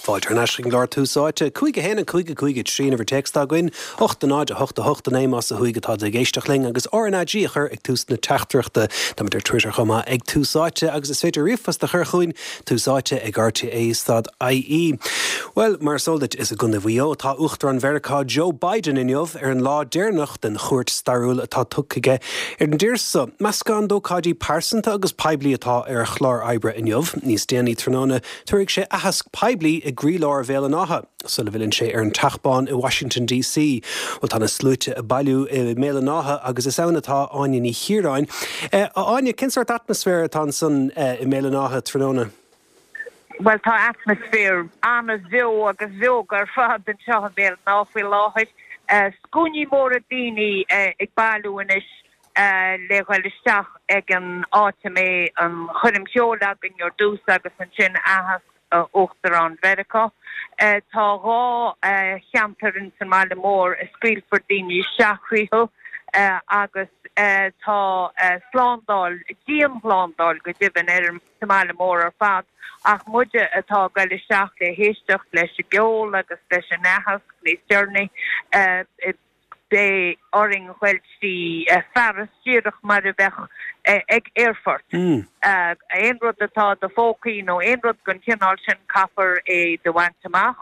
Fáilte thar n-ais chuig an gclár Tús Áite. 5 1 5 5 3 an uimhir téacs atá againn, 8 0 8 8 9 más ó thuaidh atá tú ag éisteacht linn agus RnaG a chur ag tús na teachtaireachta. Táimid ar Twitter chomh maith ag Tús Áite agus is féidir ríomhphost a chur chugainn, Tús Áite ag RTÉ stad IE. Bhuel, mar is eol duit, is i gContae Mhaigh Eo atá Uachtarán Mheiriceá Joe Biden inniu ar an lá deireanach den chuairt stairiúil atá tugtha aige ar an dtír so. Meascán d'ócáidí pearsanta agus poiblí atá ar a chlár oibre inniu. Níos déanaí tráthnóna, Tabharfaidh sé aitheasc poiblí i gcroílár Bhéal an Átha, sula bhfilleann sé ar an Teach Bán i Washington DC. Bhuel, tá na sluaite ag bailiú i mBéal an Átha agus is ann atá Áine Ní Chiaráin. A Áine, cén sórt atmaisféir atá ansan i mBéal an Átha tráthnóna? Bhuel, tá atmaisféar an-bheo agus bheoga ar fad anseo i mBéal an Átha faoi láthair. Scuainí móra daoine ag bailiú anois le ghoil isteach ag an áit a mbeidh an choirm cheoil againn ar dtús agus ansin aitheasc Uachtarán Mheiriceá. Tá 2 cheantar ins an mbaile mór a scaoilfear daoine isteach thríothu agus tá slándáil, dianshlándáil go deimhin, ar sa mbaile mór ar fad ach muide atá ag goil isteach le héisteacht leis an gceol agus leis an aitheasc níos deireanaí. Beidh orainn ghoil trí fearas díreach mar a bheadh ag aerfort. Aon rud atá i do phócaí nó aon rud den chineál sin caithfear é do bhaint amach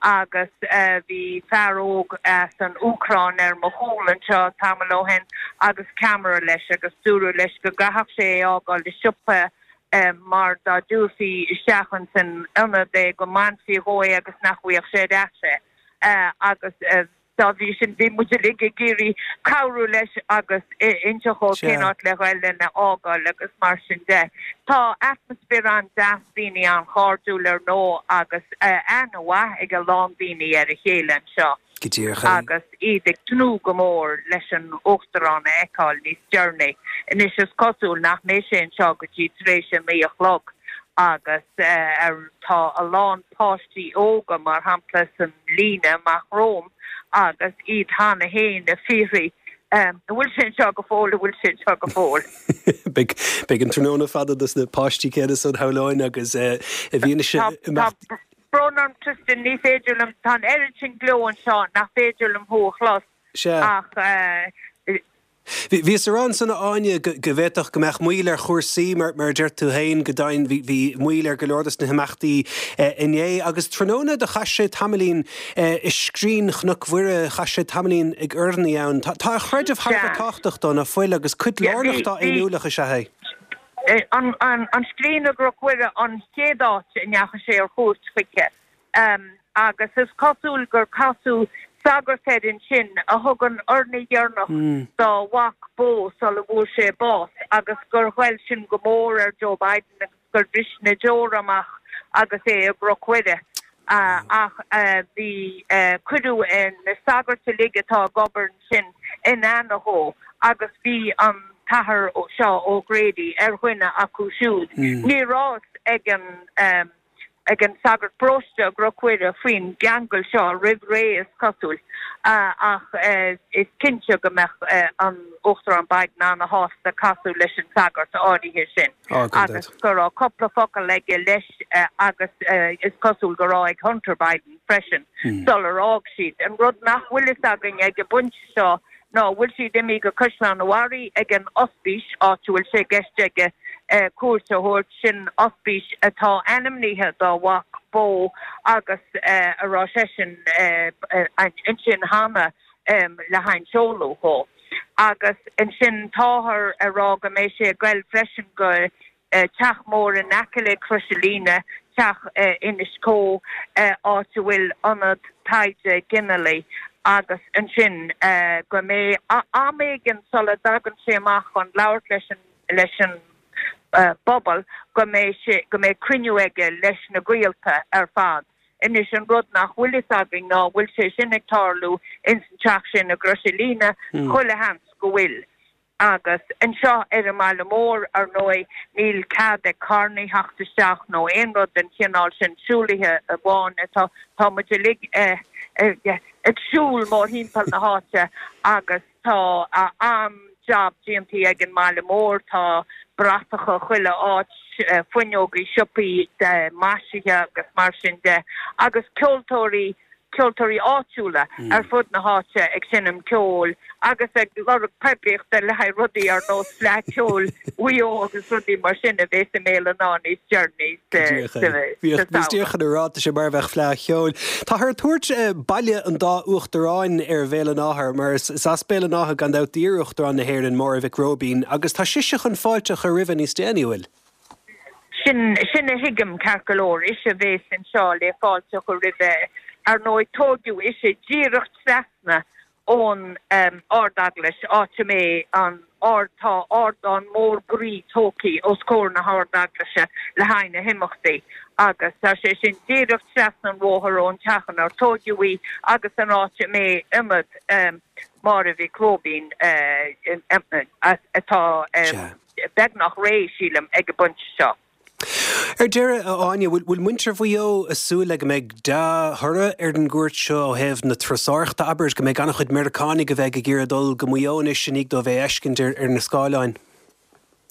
agus bhí fear óg as an Úcráin ar mo chúl anseo tamall ó shin agus ceamara leis agus dúradh leis go gcaithfeadh sé é a fhágáil i siopa mar dá dtabharfaí isteach ins an ionad é go mbainfí dhó é agus nach bhfaigheadh sé ar ais é agus Dá bhrí sin, bhí muid uilig ag iarraidh cabhrú leis agus inseacht dhó cén áit le ghoil lena fhágáil agus mar sin de. Tá atmaisféar an-deas, daoine an-chairdiúil ar ndóigh agus aithne mhaith ag a lán daoine ar a chéile anseo Go díreach é. agus iad ag tnúth go mór leis an Uachtarán a fheiceáil níos deireanaí. Anois is cosúil nach mbeidh sé anseo go dtí tar éis a naoi a chlog agus tá a lán páistí óga, mar shampla, san líne amach romham agus iad cheana féin ag fiafraí, An bhfuil sé anseo go fóill? An bhfuil sé anseo go fóill? Beidh an tráthnóna fada dos na páistí céanna san, shamhlóinn, agus i bhfianaise Tá brón orm Tristan, ní féidir liom, tá an oiread sin gleo anseo nach féidir liom thú a chlos ach Bhíos ag rá ansan, a Áine, go bhféadfadh go mbeadh moill ar chúrsaí, mar a deir tú féin, go deimhin bhí moill ar go leor dos na himeachtaí inné. Agus tráthnóna do chaith sé tamaillín i scrín Chnoc Mhuire, chaith sé tamaillín ag urnaí ann. Tá a chreideamh thar a bheith tábhachtach dó, ná fuil, agus cuid lárnach dá fhéiniúlacht is ea é. An scrín i gCnoc Mhuire an chéad áit a ndeachaigh sé ar chuairt chuici. Agus is cosúil gur casadh sagart air ansin a thug an urnaí dheireanach dá mhac Beau sula bhfuair sé bás agus gur ghoill sin go mór ar Joe Biden agus gur bhris na deora amach agus é i gCnoc Mhuire. Ach bhí, cuireadh na sagairt uilig atá ag obair ansin in aithne dhó agus bhí an tAthair seo O'Grady ar dhuine acu siúd. Ní raibh fhios ag an. ag an sagart paróiste i gCnoc Mhuire faoin gceangal seo roimh ré, is cosúil, ach is cinnte go mbeadh an Uachtarán Biden ana-shásta casadh leis an sagart áirithe sin agus go raibh cúpla focal aige leis agus is cosúil go raibh ag Hunter Biden freisin sular fhág siad. An rud nach bhfuil fhios againn ag an bpointe seo ná an bhfuil siad imithe go Caisleán an Bharraigh ag an ospís, áit a bhfuil sé i gceist aige cuairt a thabhairt, sin ospís atá ainmnithe dá mhac Beau agus a raibh seisean ansin cheana le haghaidh an seoladh dhó. Agus ansin táthar ag rá go mbeidh sé ag goil freisin go teach mór in aice le Crois an Líne, teach Inis Có, áit a bhfuil ionad taighde ginealaigh agus ansin go mbeidh am éigin sula dtagann sé amach chun labhairt leis an leis an bpobal go mbeidh sé go mbeidh cruinniú aige leis na gaolta ar fad. Anois an rud nach bhfuil fhios againn ná an bhfuil sé sin ag tarlú ins an teach sin i gCrois an Líne, chuile sheans go bhfuil. Agus anseo ar an mbaile mór, ar ndóigh, níl cead ag carrannaí theacht isteach nó aon rud den chineál sin, siúlaithe amháin atá, tá muid uilig ag siúl mórthimpeall na háite agus tá an-jab déantaí ag an mbaile mór, tá. bratacha chuile áit, fuinneogaí siopaí maisithe agus mar sin de, agus ceoltóirí, ceoltóirí áitiúla ar fud na háite ag seinm ceoil agus ag lorg poiblíochta le haghaidh rudaí ar nós Fleadh Cheoil Mhaigh Eo agus rudaí mar sin a bhéas i mBéal an Átha níos deireanaí sa samhradh. Bhíos díreach chun a rá, tá sé mar a bheadh Fleadh Cheoil. Táthar ag tabhairt Baile an Dá Uachtaráin ar Bhéal an Átha mar is as Béal an Átha gan dabht d'iar-Uachtarán na hÉireann, Máire Mhic Róibín, agus tá sise chun fáilte a chur roimhe níos déanaí, an bhfuil? Sin, sin a thuigim, ceart go leor. Ise a bhéas anseo le fáilte a chur roimhe. Ar ndóigh, tóigeadh ise díreach trasna ón Ard-Eaglais, áit a mbeidh an ard, tá ardán mór groí tógtha os comhair na hArd-Eaglaise le haghaidh na himeachtaí agus tá sé sin díreach trasna an bhóthair ón teach inar tóigeadh í agus an áit a mbeidh ionad Máire Mhic Róibín atá. beagnach réidh, sílim, ag an bpointe seo. Ar deireadh, a Áine, bhfuil muintir Mhaigh Eo ag súil le go mbeidh dea-thoradh ar an gcuairt seo ó thaobh na turasóireachta, abair, go mbeidh an-chuid Meiriceánaigh a bheidh ag iarraidh dul go Maigh Eo anois i ndiaidh dóibh é a fheiscint ar na scáileáin?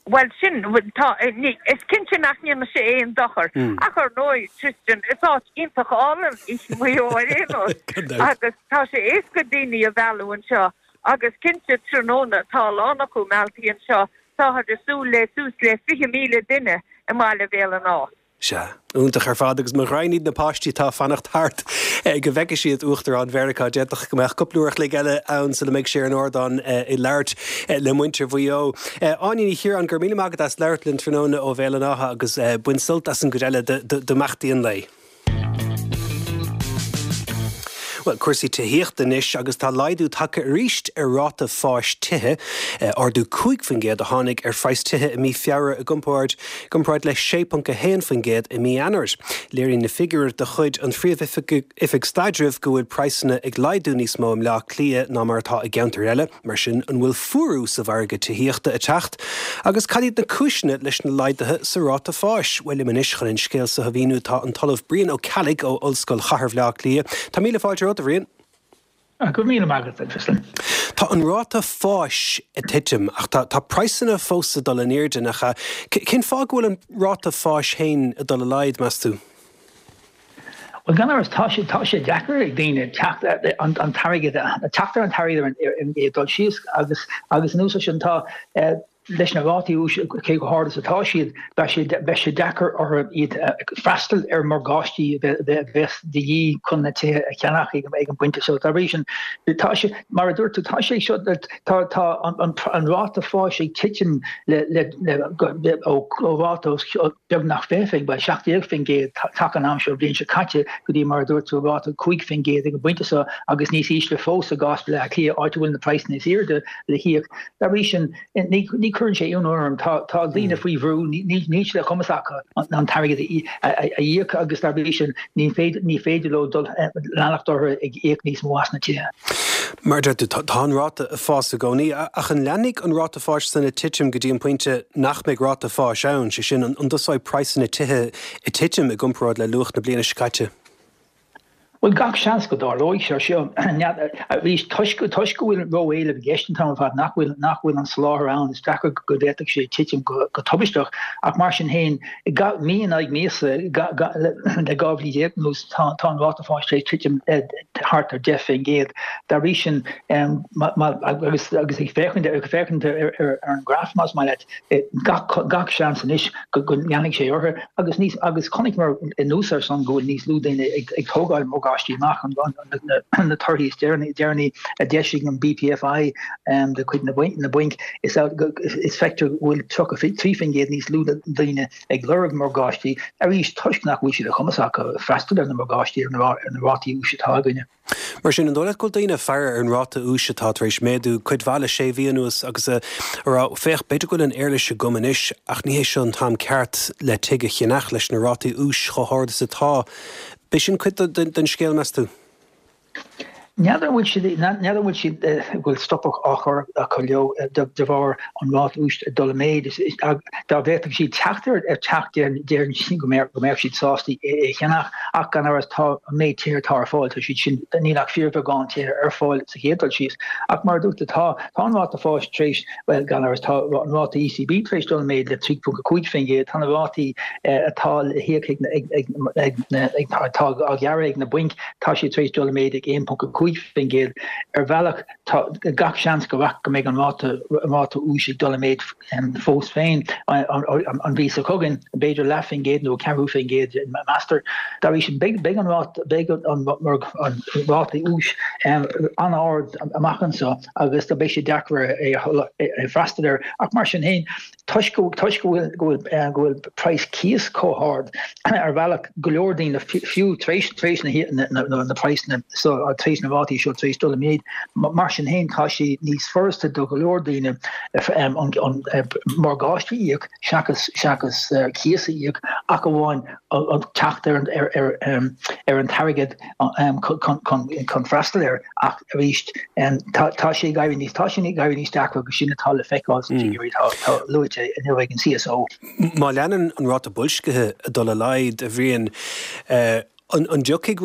Bhuel, sin, tá, ní, is cinnte nach ndéanfaidh sé aon dochar. Ach ar ndóigh, Tristan, is áit iontach álainn í Maigh Eo ar aon nós. Agus tá sé éasca daoine a mhealladh anseo. Agus cinnte, tráthnóna, tá a lán acu mealltaí anseo, táthar ag súil le suas le 20,000 duine i mbaile Bhéal an Átha. Sea, iontach ar fad agus mo ghraidhin iad na páistí atá ag fanacht thart go bhfeicfidh siad Uachtarán Mheiriceá. D'fhéadfadh go mbeadh cúpla uair a chloig eile ann sula mbeidh sé ar an ardán ag labhairt le muintir Mhaigh Eo. Áine Ní Chiaráin, go raibh míle maith agat as labhairt linn tráthnóna ó Bhéal an Átha agus bain sult as an gcuid eile d'imeachtaí an lae. Bhuel, cúrsaí tithíochta anois agus tá laghdú tagtha arís ar ráta fáis tithe. Ardú 5% a tháinig ar phraghas tithe i mí Feabhra i gcomparáid gcomparáid le 6.1% i mí Eanáir. Léiríonn na figiúir de chuid an Phríomh-Oifig Staidrimh go bhfuil praghsanna ag laghdú níos mó i mBleá Cliath ná mar atá i gceantair eile. Mar sin, an bhfuil fuarú sa mhargadh tithíochta ag teacht? Agus cad iad na cúiseanna leis na laghduithe sa ráta fáis? Bhuel, liom anois chun an scéal seo a mhíniú tá an tOllamh Brian Ó Ceallaigh ó Ollscoil Chathair Bhaile Átha Cliath. Tá míle fáilte romhat, a Bhriain. Go raibh míle maith agat, a Tristan. Tá an ráta fáis ag titim, ach tá tá praghsanna fós ag dul in airde, nach ea? Cén fáth go bhfuil an ráta fáis féin ag dul i laghad, meas tú? Bhuel, gan amhras, tá sé, tá sé deacair ag daoine teacht ar an t-airgead, teacht ar an t-airgead ar an gcéad dul síos agus, agus anuas air sin, tá, leis na rátaí úis cé chomh hard is atá siad, beidh sé, beidh sé deacair orthu iad freastal ar mhorgáistí a bheas de dhíth chun na tithe a cheannach ag an bpointe seo. Dá bhrí sin, tá sé, mar a dúirt tú, tá sé seo, tá, tá an, an ráta fáis ag titim le, le, le, ó, ó ráta os beagnach 20, bhuel, 17% taca an am seo an bhliain seo caite go dtí mar a dúirt tú ráta 5% ag an bpointe seo agus níos ísle fós i gcás Bhaile Átha Cliath áit a bhfuil na praghsanna is airde le híoc. Dá bhrí sin, ní chuireann sé ionadh orm. Tá daoine faoi bhrú, níl sé de chumas acu an t-airgead a íoc agus dá bhrí sin ní féidir leo dul leanacht orthu ag íoc níos mó as na tithe. Mar a deir tú, tá an ráta ag fás i gcónaí, ach an leanfaidh an ráta fáis san ag titim go dtí an pointe nach mbeidh ráta fáis ann, sé sin, an dtosóidh praghsanna tithe ag titim i gcomparáid le luach na bliana seo caite? Bhuel, gach seans go dtarlóidh sé seo. Arís, toisc go bhfuil ró-éileamh i gceist an t-am ar fad, nach bhfuil, nach bhfuil an soláthar ann, is deacair go bhféadfadh sé titim go tubaisteach. Ach mar sin féin, mí in aghaidh míosa le 12 mhí anuas, tá an ráta fáis tar éis titim thart ar 10%. Dá bhrí sin, agus ag féachaint ar an ngraf, más maith leat, gach seans anois go leanfaidh sé orthu. Agus níos, agus chonaiceamar anuas air san go bhfuil níos lú daoine ag tógáil morgáistí amach, na torthaí is deireanaí a d'eisigh an BPFI de chuid na mbainc, is feictear go bhfuil 33% níos lú daoine ag lorg morgáistí, arís toisc nach bhfuil sé de chumas acu freastal ar na morgáistí ar na rátaí úis atá againne. Mar sin, an dóigh leat go bhfuil daoine ag faire ar an ráta úis atá tar éis méadú cuid mhaith le sé mhí anuas agus ag rá, féach, b'fhéidir go bhfuil an éarlais agam anois ach ní hé seo an t-am ceart le tigh a cheannach leis na rátaí úis chomh hard is atá. B'é sin cuid den scéal, meas tú? N'fheadar an bhfuil siad, n'fheadar an bhfuil siad, go bhfuil stopadh á chur acu leo de bharr an ráta úis ag dul i méid. Dá bhféadfadh siad teacht ar teach déarfainn go mbeadh siad sásta é a cheannach. Ach gan amhras tá an méid tithe atá ar fáil, tá siad sin, níl ach fíorbheagán tithe ar fáil sa chéad dul síos. Ach mar a dúirt tú, tá, tá an ráta fáis tar éis, bhuel, gan amhras, tá an ráta ECB tar éis dul i méid le 3.5%, tá na rátaí atá le híoc ag, ag, ag, ag, atá á ghearradh ag na bainc, tá siad tar éis dul i méid ag 1.5%. Ar bhealach, tá gach seans go go mbeidh an ráta, an ráta úis ag dul i méid fós féin an mhí seo chugainn, b'fhéidir leath faoin gcéad nó ceathrú faoin gcéad, meastar. Dá bhrí sin, beidh an ráta, beidh an ráta úis an-ard amach anseo agus beidh sé deacair é freastal air. Ach mar sin féin, toisc go toisc go bhfuil go bhfuil go bhfuil praghas cíos chomh hard ar bhealach go leor daoine fiú tar éis tar éis na na na praghsanna so tar éis na rátaí seo tar éis dul i méid mar sin féin tá sé níos furasta do go leor daoine an an morgáiste a íoc seachas seachas cíos a íoc ach amháin teacht ar an ar ar ar an t-airgead chun freastal air ach arís tá sé ag éirí níos tá sé ag éirí níos deacra agus sin atá le feiceáil sna figiúirí atá luaite inniu ag an CSO. Má leanann an ráta boilscithe ag dul i laghad, a Bhriain, an dtiocfaidh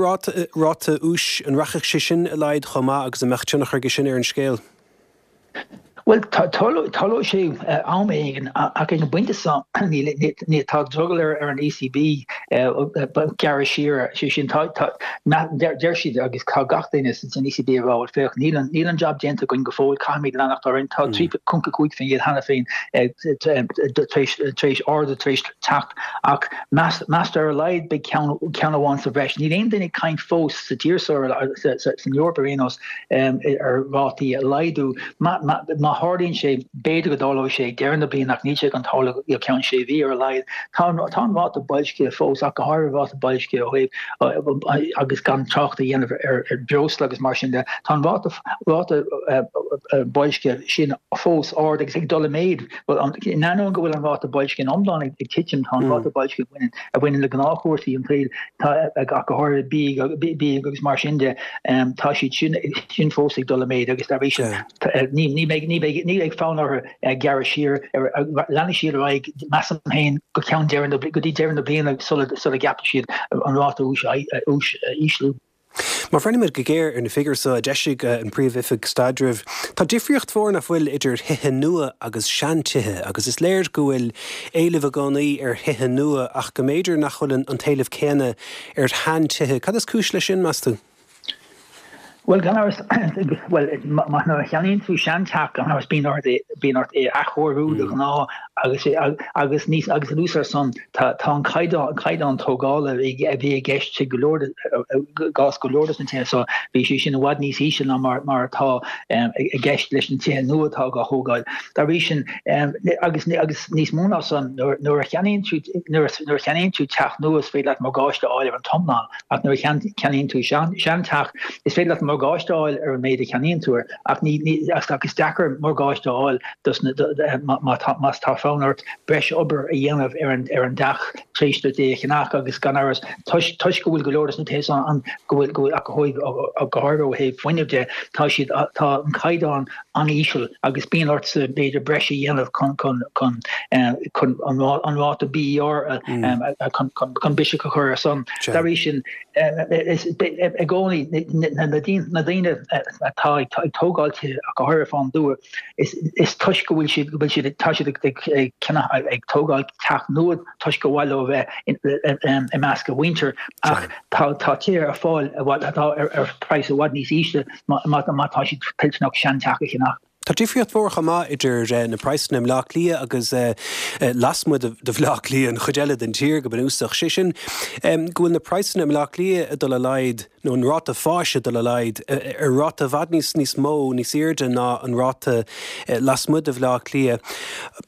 ráta úis, an rachaidh sé sin i laghad chomh maith agus an mbeadh tionchar aige sin ar an scéal? Bhuel, tarlóidh sé am éigin, ach ag an bpointe seo níl, tá drogall ar an ECB gearradh siar, sé sin, tá, deir siad agus tá gach duine san ECB ag rá, bhuel féach, níl an, níl an jab déanta againn go fóill, caithfimid leanacht orainn, tá 3.5% cheana féin tar éis, tar éis ardú tar éis teacht ach meastar ar a laghad beidh ceann, ceann amháin sa bhreis. Níl aon duine ag caint fós sa tír seo, san Eoraip ar aon nós, ar rátaí a laghdú. Má tharlaíonn sé, b'fhéidir go dtarlóidh sé ag deireadh na bliana ach níl sé chun tarlú go ceann sé mhí ar a laghad. Tá an ráta boilscithe fós, ach go háirithe ráta boilscithe ó thaobh agus gan trácht a dhéanamh ar bhreosla agus mar sin de, tá an ráta ráta boilscithe sin fós ard agus ag dul i méid. In ainneoin go bhfuil an ráta boilscithe in iomlán ag titim, tá an ráta boilscithe a bhaineann a bhaineann le gnáthchúrsaí an tsaoil, ach go háirithe bia agus mar sin de, tá siad sin sin fós ag dul i méid agus dá bhrí sin ní ní bheidh ní bheidh ní bheidh fonn orthu gearradh siar, leanfaidh siad ar aghaidh, measaim féin, go ceann deireadh na go dtí deireadh na bliana sula sula gceapfaidh siad an ráta úis úis a ísliú. Má bhreathnaímid go géar ar na figiúirí seo a d'eisigh an Phríomh-Oifig Staidrimh, tá difríocht mhór nach bhfuil idir thithe nua agus seantithe agus is léir go bhfuil éileamh i gcónaí ar thithe nua ach go mb'fhéidir nach bhfuil an t-éileamh céanna ar sheantithe. Cad is cúis leis sin, meas tú? Bhuel, gan amhras, bhuel, nuair a cheannaíonn tú seanteach, gan amhras, bíonn ort é, bíonn ort é a athchóiriú de ghnáth agus, agus níos, agus anuas ar san, Tá an caighdeán tógála a bhí i gceist i go leor i gcás go leor de na tithe seo, bhí sé sin i bhfad níos ísle ná mar atá i gceist leis na tithe nua atá á thógáil. Dá bhrí sin, agus níos mó ná san, nuair a cheannaíonn tú nuair a cheannaíonn tú teach nua is féidir leat morgáiste a fháil ar an t-iomlán ach nuair a cheannaíonn tú seanteach is féidir leat morgáiste a fháil ar an méid a cheannaíonn tú air ach ní ach is deacair morgáiste a fháil má tá fonn ort breis obair a dhéanamh ar an ar an dteach tar éis duit é a cheannach agus gan amhras toisc toisc go bhfuil go leor de na tithe seo an go bhfuil go bhfuil ach go go háirithe ó thaobh fuinnimh de tá siad tá an caighdeán an-íseal agus bíonn ortsa b'fhéidir breis a dhéanamh chun chun chun chun an an ráta BER chun chun chun biseach a chur ar san. Dá bhrí sin is i gcónaí na na daoine atá ag tógáil tithe ach go háirithe fán dtuath Is toisc go bhfuil siad, go bhfuil siad, tá siad ag ceannach, ag tógáil teach nua toisc gur mhaith leo a bheith i measc a mhuintir ach tá tá tithe ar fáil atá ar praghas i bhfad níos ísle má tá siad toilteanach seanteach a cheannach. Tá difríocht mhór chomh maith idir na praghsanna i mBleá Cliath agus lasmuigh de Bhleá Cliath, an chuid eile den tír go bunúsach. Sé sin go bhfuil na praghsanna i mBleá Cliath ag dul i laghad nó an ráta fáis ag dul i laghad ar ráta i bhfad níos níos mó, níos airde ná an ráta lasmuigh de Bhleá Cliath.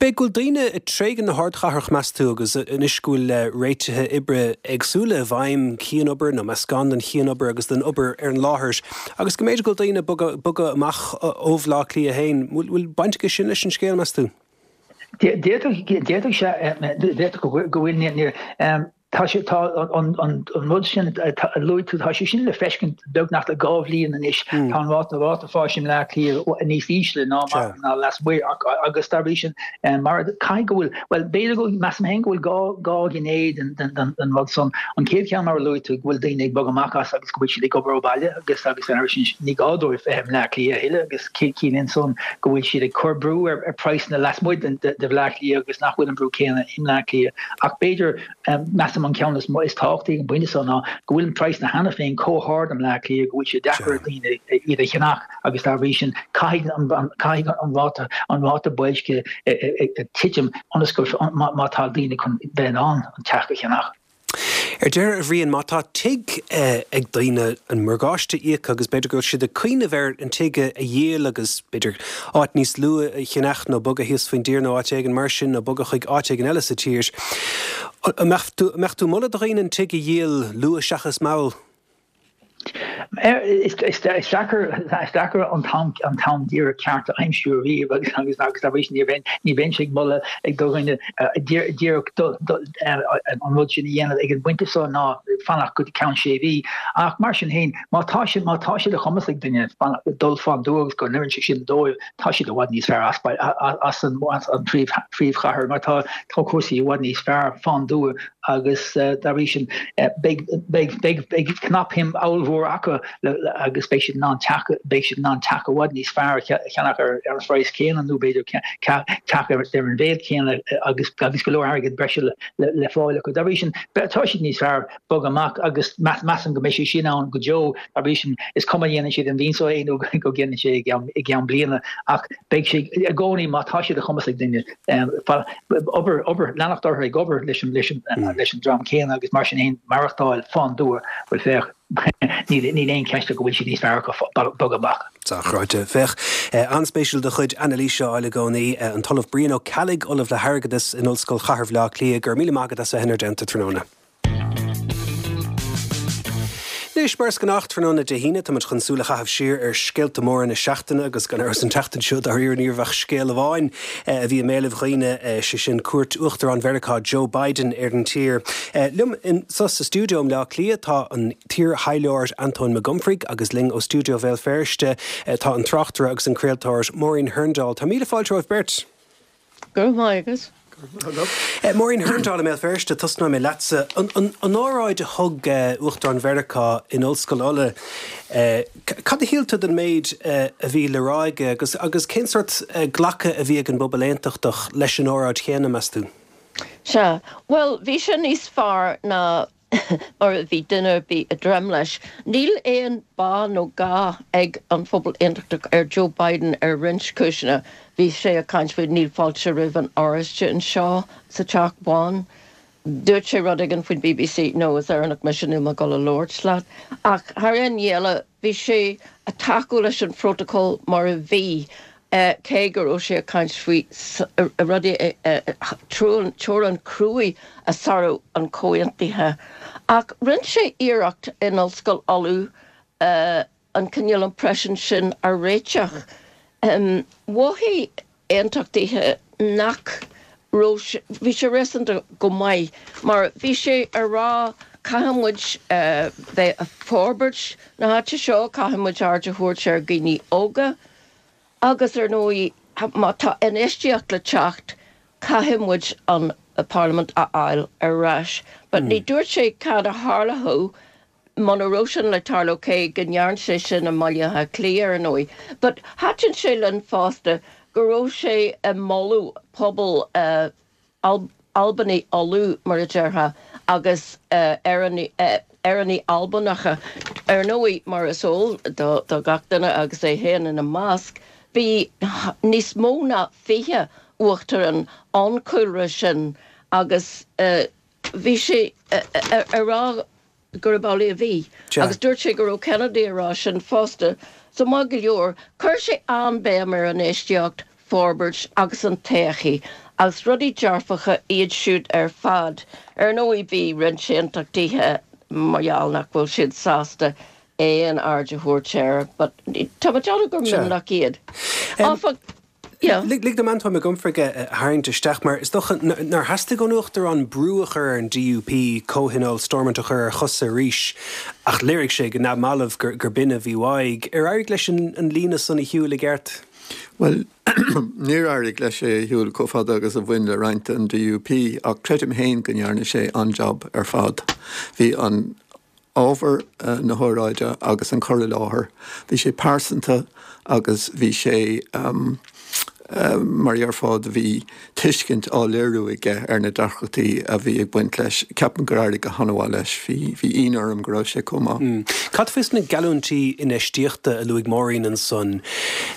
B'fhéidir go bhfuil daoine ag tréigean na hardchathrach, meas tú, agus anois go bhfuil réitithe oibre éagsúla i bhfeidhm, cianobair nó meascán den chianobair agus den obair ar an láthair, agus go mb'fhéidir go bhfuil daoine ag bogadh bogadh amach ó Bhleá Cliath féin. Bhfuil baint aige sin leis an scéal, meas tú? D'fhéadfadh, d'fhéadfadh sé, d'fhéadfadh go bhfuil, níor. Tá sé, tá an rud sin a luaigh tú, tá sé sin le feiscint beagnach le 2 bhliain anois. Tá an ráta, ráta fáis i mBleá Cliath níos ísle ná mar, ná lasmuigh agus dá bhrí sin, mar, caithfidh go bhfuil, bhuel, b'fhéidir go, measaim féin go bhfuil 2 ghné den, den, den rud san. An chéad cheann mar a luaigh tú, go bhfuil daoine ag bogadh amach as agus go bhfuil siad ag obair ó bhaile agus, agus dá bhrí sin ní gá dóibh bheith i mBleá Cliath a thuilleadh agus ciallaíonn san go bhfuil siad ag cur brú ar, ar praghsanna lasmuigh den, de, de Bhleá Cliath agus nach bhfuil an brú céanna i mBleá Cliath. Ach b'fhéidir, measaim an ceann is is tábhachtaí ag an bpointe seo ná go bhfuil praghsanna cheana féin chomh hard i mBleá Cliath go bhfuil sé deacair ar dhaoine iad a cheannach agus dá bhrí sin caithfidh an caithfidh an ráta an ráta boilscithe titim ionas go má tá daoine chun bheith in ann an teach a cheannach. Ar deireadh, a Bhriain, má tá tigh ag daoine, an morgáiste íoctha agus b'fhéidir go bhfuil siad ag cuimhneamh ar an tigh a dhíol agus b'fhéidir áit níos lú a cheannach nó bogadh thíos faoin dtír nó áit éigin mar sin nó bogadh chuig áit éigin eile sa tír. An mbeadh tú, an mbeadh tú ag moladh do dhaoine an tigh a dhíol luath seachas mall? Is deacair is deacair an t-am an t-am díreach ceart a aimsiú ariamh agus agus agus dá bhrí sin ní bheinn ní bheinnse ag moladh ag do dhuine díreach an rud sin a dhéanamh ag an bpointe seo ná fanacht go ceann sé mhí. Ach mar sin féin, má tá sé má tá sé de chumas ag duine dul fán dtuath agus go n-oireann sé sin dóibh, tá siad i bhfad níos fearr as as an as an príomh phríomhchathair mar tá tá cúrsaí i bhfad níos fearr fán dtuath agus dá bhrí sin beidh beidh beidh beidh cnapshuim ollmhór acu agus beidh siad in ann teach beidh siad in ann teach i bhfad níos fearr a cheannach ar ar an phraghas céanna nó b'fhéidir teach ar ar an mhéid céanna agus agus go leor airgead breise le le fáil acu. Dá bhrí sin tá siad níos fearr bogadh amach agus measaim go mbeidh sé sin ann go deo. Dá bhrí sin is cuma an ndéanann siad an mhí seo é nó go ndéanann sé i gceann bliana ach beidh sé i gcónaí má tá sé de chumas ag duine obair, obair, leanacht orthu ag obair leis an, leis an, leis an dream céanna agus mar sin féin maireachtáil fán dtuath, bhuel féach, níl, níl aon cheist go bhfuil siad níos fearr acu bogadh amach. Dochreidte. Féach, an-spéisiúil do chuid anailíse a fháil i gcónaí. An tOllamh Brian Ó Ceallaigh, Ollamh le hAirgeadas in Ollscoil Chathair Bhaile Átha Cliath, go raibh míle maith agat as a bheith inár dteannta tráthnóna. Anois, mar is gnách, tráthnóna Dé hAoine, táimid chun súil a chaitheamh siar ar scéalta móra na seachtaine agus gan amhras an tseachtain seo, dáiríre, ní raibh ach scéal amháin a bhí i mbéalaibh dhaoine, sé sin cuairt Uachtarán Mheiriceá Joe Biden ar an tír. Liom anso sa stiúideo i mBleá Cliath tá an t-iar-thaidhleoir Antóin Mac Unfraidh agus linn ó stiúideo Bhéal Feirste tá an tráchtaire agus an craoltóir Máirín Hurndall. Tá míle fáilte romhaibh beirt. Go raibh maith agat. Máirín Hurndall i mBéal Feirste, tosnóidh mé leatsa. An óráid a thug Uachtarán Mheiriceá in Ollscoil Uladh, cad a shíl tú den méid a bhí le rá aige agus agus cén sórt glacadh a bhí ag an bpobal aontachtach leis an óráid chéanna, meas tú? Sea, bhuel, bhí sé níos fearr ná mar a bhí duine ar bith ag dréim leis. Níl aon bá nó gá ag an phobal aontachtach ar Joe Biden ar roinnt cúiseanna. Bhí sé ag caint faoi níl fáilte roimh an Oráiste anseo sa Teach Bán. Dúirt sé rud éigin faoin bbc, no, is Éireannach mise, níl mé ag dul a labhairt leat. Ach thar aon ní eile, bhí sé ag tacú leis an phrótacal mar a bhí. Cé go raibh sé ag caint faoi rudaí, teorainn cruaidh a sárú an chomhaontaithe. Ach rinne sé iarracht in Ollscoil Uladh an cineál impression sin a réiteach. Mhothaigh aontachtaithe nach raibh sé, bhí sé réasúnta go maith mar bhí sé ag rá caithfidh muid bheith ag forbairt na háite seo, caithfidh muid aird a thabhairt ar dhaoine óga, Agus ar ndóigh, má tá infheistíocht le teacht, caithfidh muid an Parlaimint a fháil ar ais. But ní dúirt sé cad a tharlódh muna raibh sin le tarlú, cé go ndearn sé sin i mBaile Átha Cliath ar ndóigh. But thaitin sé linn fosta go raibh sé ag moladh pobal Albanaigh Uladh, mar a déarfá, agus Éireannaigh Albanacha. Ar ndóigh, mar is eol do gach duine, agus é féin ina measc, bhí níos mó ná 20 uachtarán ón chúlra sin agus bhí sé ag rá gurb amhlaidh a bhí. Agus dúirt sé go raibh Kennedy ag rá sin fosta. So maith go leor, chuir sé an-bhéim ar infheistíocht, forbairt agus an todhchaí, agus rudaí dearfacha iad siúd ar fad. Ar ndóigh bhí roinnt aontachtaithe mar gheall nach bhfuil siad sásta aon aird a thabhairt air, but tá mé ag déanamh gur mionlach iad. Áfach. Yeah. Lig dom Antóin Mac Unfraidh a tharraingt isteach mar is dócha nár theastaigh ón Uachtarán brú a chur ar an DUP comhthionól Stormont a chur ar chosa arís ach léirigh sé go neamhbhalbh gur b'in a bhí uaidh. Ar éirigh leis an líne san a shiúl i gceart? Bhuel, níor éirigh leis é a shiúl chomh fada agus a bhain le roinnt den DUP ach creidim féin go ndearna sé an-jab ar fad. Bhí an ábhar na hóráide agus an cur i láthair, bhí sé pearsanta agus bhí sé, mar a déarfá, bhí tuiscint á léiriú aige ar na deacrachtaí a bhí ag baint leis. Ceapaim gur éirigh go han-mhaith leis. Bhí, bhí ionadh orm go raibh sé chomh maith. Cad faoi sna geallúintí infheistíochta a luaigh Máirín ansan?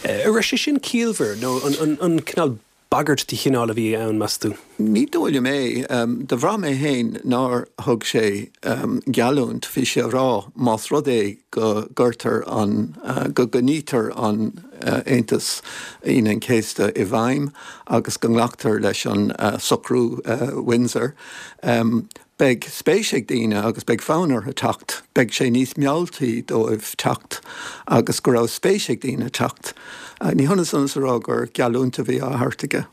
An raibh sé sin ciallmhar nó an cineál bagairt de chineál a bhí ann, meas tú? Ní dóigh liom é. Do bhraith mé féin nár thug sé geallúint. Bhí sé a rá más rud é go gcuirtear an, go gcoinnítear an Aontas Aoine an Chéasta i bhfeidhm agus go nglactar leis an socrú Windsor, Beidh spéis ag daoine agus beidh fonn orthu teacht, beidh sé níos mealltaí dóibh teacht agus go raibh spéis ag daoine teacht. Ní hionann san is a rá gur geallúint a bhí á thabhairt aige.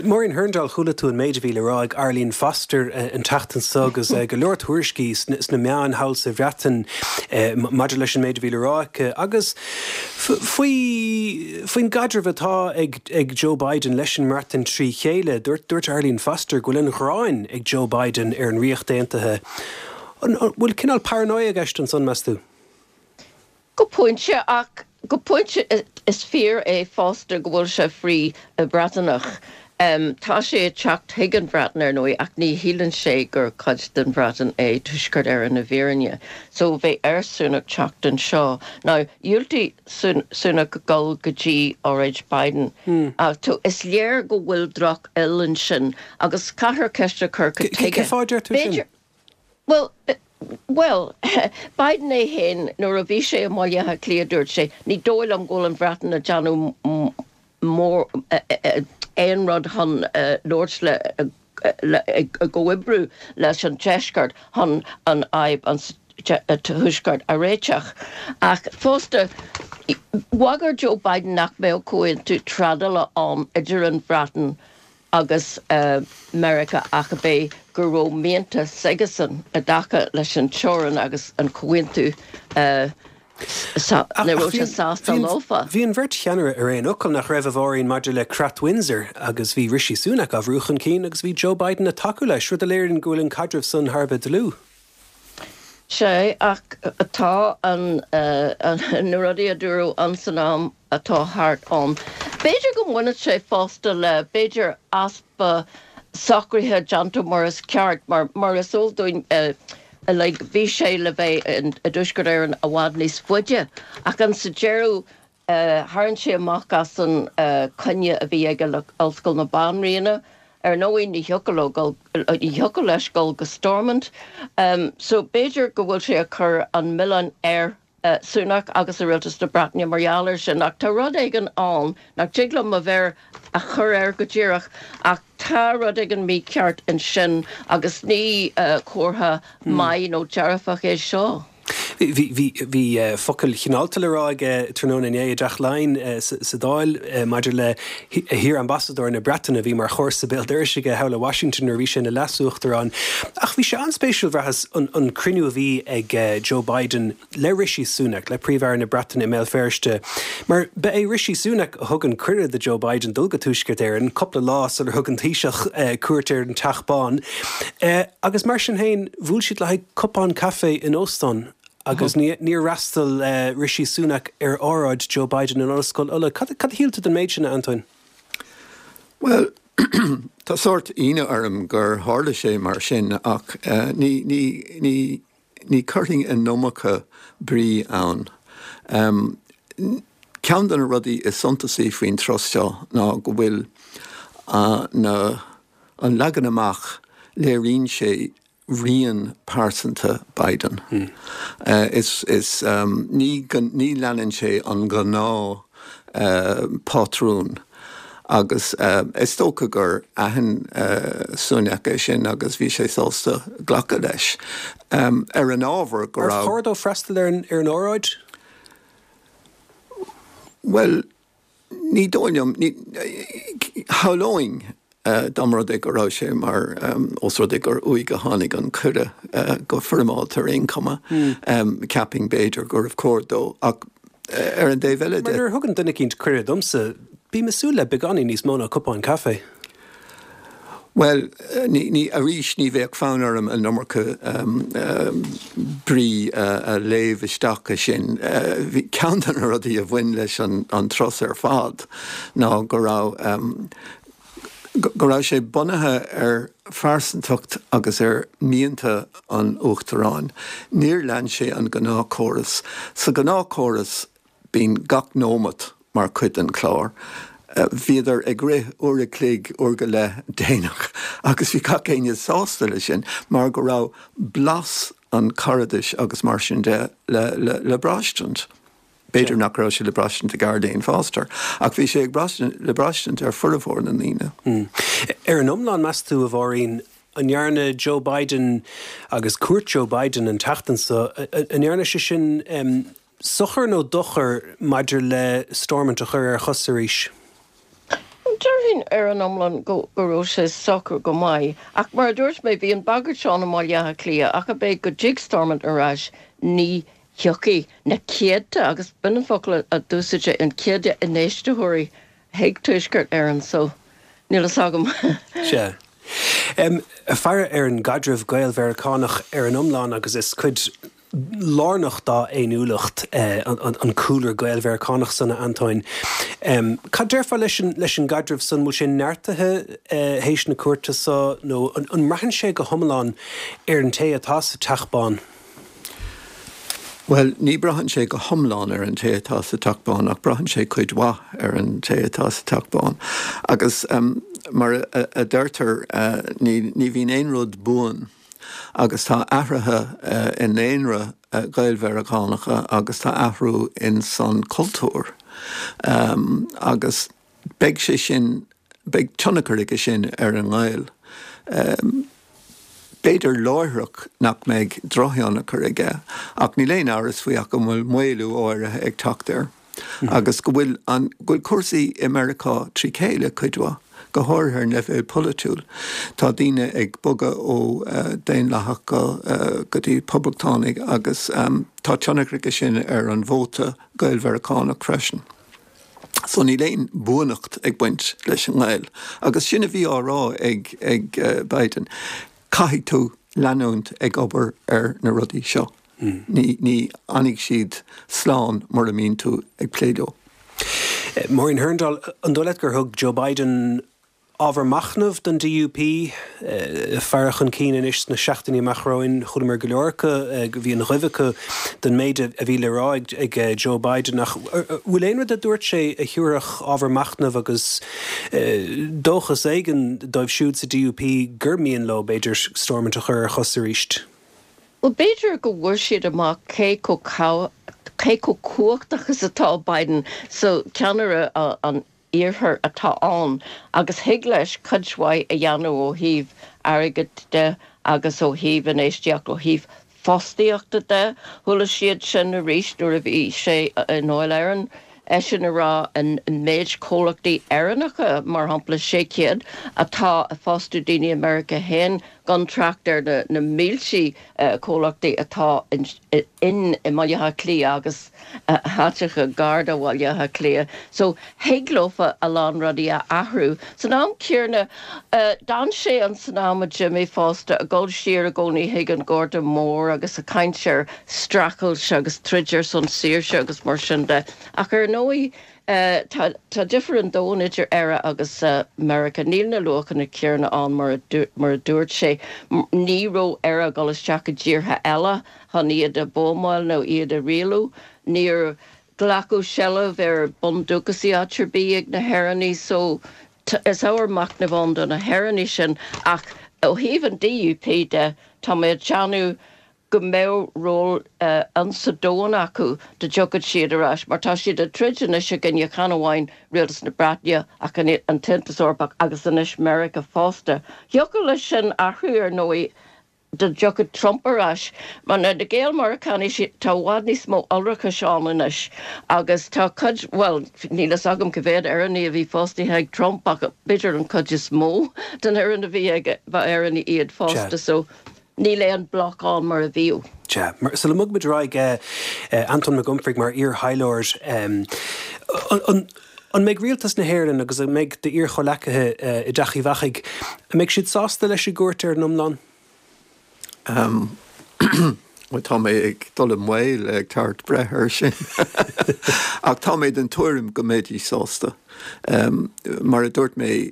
Máirín Hurndall, chuala tú an méid a bhí le rá ag Arlene Foster an tseachtain seo agus go leor tuairiscí sna meáin thall sa Bhreatain maidir leis an méid a bhí le rá aici agus faoi faoin gcaidreamh atá ag ag Joe Biden leis an mBreatain trí chéile. Dúirt dúirt Arlene Foster go bhfuil an ghráin ag Joe Biden ar an Ríocht Aontaithe. An bhfuil cineál paranoia i gceist ansan, meas tú? Go pointe, ach go pointe is fíor é fosta go bhfuil sé frith-Bhreataineach. Tá sé ag teacht chuig an Bhreatain, ar ndóigh, ach ní shíleann sé gur cuid den Bhreatain é Tuaisceart Éireann i bhfírinne. So bheadh ar Sunak teacht anseo. Now, dhiúltaigh Sunak dul go dtí óráid Biden. Ach is léir go bhfuil drochfhuil ansin agus caithfear ceist a chur cad tuige. Cén fáth a deir tú sin? Bhuel, bhuel, Biden é féin, nuair a bhí sé i mBaile Átha Cliath, dúirt sé, ní dóigh liom go bhfuil an Bhreatain ag déanamh mór, aon rud chun labhairt le, ag comhoibriú leis an Deisceart chun an fhadhb an Tuaisceart a réiteach. Ach fosta, bhagair Joe Biden nach mbeadh comhaontú trádála ann idir an Bhreatain agus Meiriceá ach ab é go raibh mianta s'aigesan i dtaca leis an teorainn agus an comhaontú ní raibh sé sásta leofa. Bhí an bheirt cheannaire ar aon fhocal, nach raibh, a Mháirín, maidir le Creat Windsor agus bhí Rishi Sunak á bhrú chun cinn agus bhí Joe Biden ag tacú leis, rud a léiríonn go bhfuil an caidreamh san thar a bheith dlúth. Sea, ach tá an, na rudaí a dúradh ann san am atá thart ann. B'fhéidir go mbaineann sé fosta le, b'fhéidir, easpa socruithe déanta mar is ceart, mar, mar is eol dúinn, like, bhí sé le bheith i dTuaisceart Éireann i bhfad níos faide, ach in sa deireadh, Tharraing sé amach as an coinne a bhí aige le Ollscoil na Banríona. Ar ndóigh, ní thiocfadh leo dul, ní thiocfadh leis dul go Stormont. So b'fhéidir go bhfuil sé ag cur an milleán ar Sunak agus ar Rialtas na Breataine mar gheall air sin. Ach tá rud éigin ann nach dtig liom mo mhéar a chur air go díreach, ach tá rud éigin mícheart ansin agus ní comhartha maith nó dearfach é seo. Bhí focail chineálta le rá aige tráthnóna inné i dTeach Laighean sa Dáil maidir le hiar-ambasadóir na Breataine a bhí mar chomharsa béal dorais aige thall i Washington nuair a bhí sé ina leas-uachtarán. Ach bhí sé an-spéisiúil, bhraitheas, an cruinniú a bhí ag Joe Biden le Rishi Sunak, le Príomh-Aire na Breataine i mBéal Feirste, mar ba é Rishi Sunak a thug an cuireadh do Joe Biden dul go Tuaisceart Éireann cúpla lá sular thug an Taoiseach cuairt ar an Teach Bán. Agus mar sin féin, bhuail siad le haghaidh cupán caife in óstán agus níor fhreastail Rishi Sunak ar óráid Joe Biden in Ollscoil Uladh. Cad a shíl tú den méid sin, a Antoin? Bhuel, tá sórt ionadh orm gur tharla sé mar sin ach ní, ní, ní, ní chuirfinn an iomarca brí ann. Ceann de na rudaí is suntasaí faoin turas seo ná go bhfuil na, an leagan amach, léiríonn sé rian pearsanta Biden. Is, is, ní, ní leanann sé an gnáth pátrún agus is dócha gur aithin Sunak é sin agus bhí sé sásta glacadh leis. Ar an ábhar go raibh. Ar chóir dó freastal ar an óráid? Bhuel. Ní dóigh liom, shamhlóinn dá mba rud é go raibh sé mar, ós rud é gur uaidh a tháinig an cuireadh go foirmeálta ar aon chuma, cheapfainn b'fhéidir gurbh chóir dó ach ar an dtaobh eile de. Mar nuair a thugann duine eicínt cuireadh domsa, bím ag súil le beagáinín níos mó ná cupán caife. Bhuel, ní, arís, ní bheadh fonn orm an iomarca brí a léamh isteach as sin. Bhí ceann de na rudaí a bhain leis an turas ar fad ná go raibh, go raibh sé bunaithe ar phearsantacht agus ar mhianta an Uachtaráin. Níor lean sé an gnáthchóras. Sa ghnáthchóras, Bíonn gach nóimeat mar chuid den chlár. Bhíodar ag rith uair a chloig, uair go leith déanach agus bhí gach éinne sásta leis sin mar go raibh blas an charadais agus mar sin de le braistint. B'fhéidir nach raibh sé le braistint ag Arlene Foster ach bhí sé le braistint ar formhór na ndaoine. Ar an iomlán, meas tú, a Mháirín, an ndearna Joe Biden agus cuairt Joe Biden an tseachtain seo, an ndearna sé sin Sochar nó dochar maidir le Stormont a chur ar a chosa arís? Déarfainn ar an iomlán go raibh sé socair go maith. Ach mar a dúirt mé, bhí an bhagairt ann i mBaile Átha Cliath ach ab é go dtig Stormont ar ais, ní thiocfaidh na céadta, agus b'in an focal a d'úsáid sé, an céadta infheistitheoirí chuig Tuaisceart Éireann. So, níl fhios agam. Sea. Faire ar an gcaidreamh Gael-Mheiriceánach ar an iomlán agus is cuid lárnach dá fhéiniúlacht an cúlra Gael-Mheiriceánach san, a Antóin. Cad déarfá leis an gcaidreamh san? Bhfuil sé neartaithe théis na cuairte so nó an mbraitheann sé go hiomlán ar an té atá sa Teach Bán? Bhuel, ní braitheann sé go hiomlán ar an té atá sa Teach Bán ach braitheann sé cuid mhaith ar an té atá sa Teach Bán. Agus mar a deirtear, ní bhíonn aon rud buan. Agus tá athruithe i ndaonra Gael-Mheiriceánacha agus tá athrú in san cultúr agus beidh sé sin, beidh tionchar aige sin ar an ngaol. B'fhéidir láithreach nach mbeidh drochthionchar aige ach níl aon amhras faoi ach go bhfuil maolú áirithe ag teacht air. agus go bhfuil an, go bhfuil cúrsaí i Meiriceá trí chéile cuid mhaith, go háirithe ar an leibhéal polaitiúil. Tá daoine ag bogadh ó Daonlathach go, go dtí Poblachtánaigh agus tá tionchar aige sin ar an vóta Gael-Mheiriceánach freisin. So níl aon buanacht ag baint leis an ngaol. Agus sin a bhí á rá ag, ag Biden, caithfidh tú leanúint ag obair ar na rudaí seo. Ní fhanfaidh siad slán mura mbíonn tú ag plé leo. Máirín Hurndall, an dóigh leat gur thug Joe Biden ábhar machnaimh don DUP? Faire chun cinn anois sna seachtainí amach romhainn, chualamar go leor acu, bhí an ghoimh acu don méid a bhí le rá ag Joe Biden ach bhfuil aon rud a dúirt sé a thabharfadh ábhar machnaimh agus dóchas éigin dóibh siúd sa DUP gur mian leo, b'fhéidir, Stormont a chur ar a chos arís? Bhuel, b'fhéidir go bhfuair siad amach cé chomh cé chomh cumhachtach is atá Biden. So, ceannaire an iarthair atá ann agus thig leis cuid mhaith a dhéanamh ó thaobh airgid de agus ó thaobh infheistíocht, ó thaobh fostaíochta de. Chuala siad sin arís nuair a bhí sé i nDáil Éireann. Eisean ag rá an méid comhlachtaí Éireannacha, mar shampla 600, atá ag fostú daoine i Meiriceá féin, gan trácht ar na mílte comhlachtaí atá in i mBaile Átha Cliath agus áiteacha gar do Bhaile Átha Cliath. So, thig leofa a lán rudaí a athrú. San am céanna, d'fhan sé an san am a d'imigh fosta, ag dul siar i gcónaí chuig an Gorta Mór agus ag caint ar streachailt agus troid ar son saoirse agus mar sin de. Ach ar ndóigh, Tá difear an domhain idir Éire agus Meiriceá. Níl na luachanna céanna ann mar a dúirt sé. Ní raibh Éire ag dul isteach i dtíortha eile chun iad a bhuamáil nó iad a rialú. Níor glacadh seilbh ar bundúchasaigh áit ar bith ag na hÉireannaigh so is ábhar machnaimh ann do na hÉireannaigh sin. Ach ó thaobh an DUP de, tá mé ag déanamh go mbeadh ról ann sa domhan acu dá dtiocfadh siad ar ais, mar tá siad ag troid anois i gcoinne chan amháin Rialtas na Breataine ach an tAontas Eorpach agus anois Meiriceá fosta. Thiocfadh leis sin athrú ar ndóigh. Dá dtiocfadh Trump ar ais, mar na Gael-Meiriceánaigh, tá i bhfad níos mó iolrachais ann anois agus tá cuid, bhuel, níl fhios agam cá mhéad Éireannaigh a bhí fostaithe ag Trump ach b'fhéidir an chuid is mó den fhoireann a bhí aige, ba Éireannaigh iad fosta so níl aon bloc ann mar a bhíodh. Sea. Mar, sula mbogfaimid ar aghaidh, Antóin Mac Unfraidh mar iar-thaidhleoir, an, an mbeidh Rialtas na hÉireann agus an mbeidh d'iar-chomhleacaithe i dTeach Uíbh Eachaidh, an mbeidh siad sásta leis an gcuairt ar an iomlán? Bhuel, tá mé ag dul i mbaol ag tabhairt breith air sin. Ach tá mé den tuairim go mbeidís sásta. Mar a dúirt mé,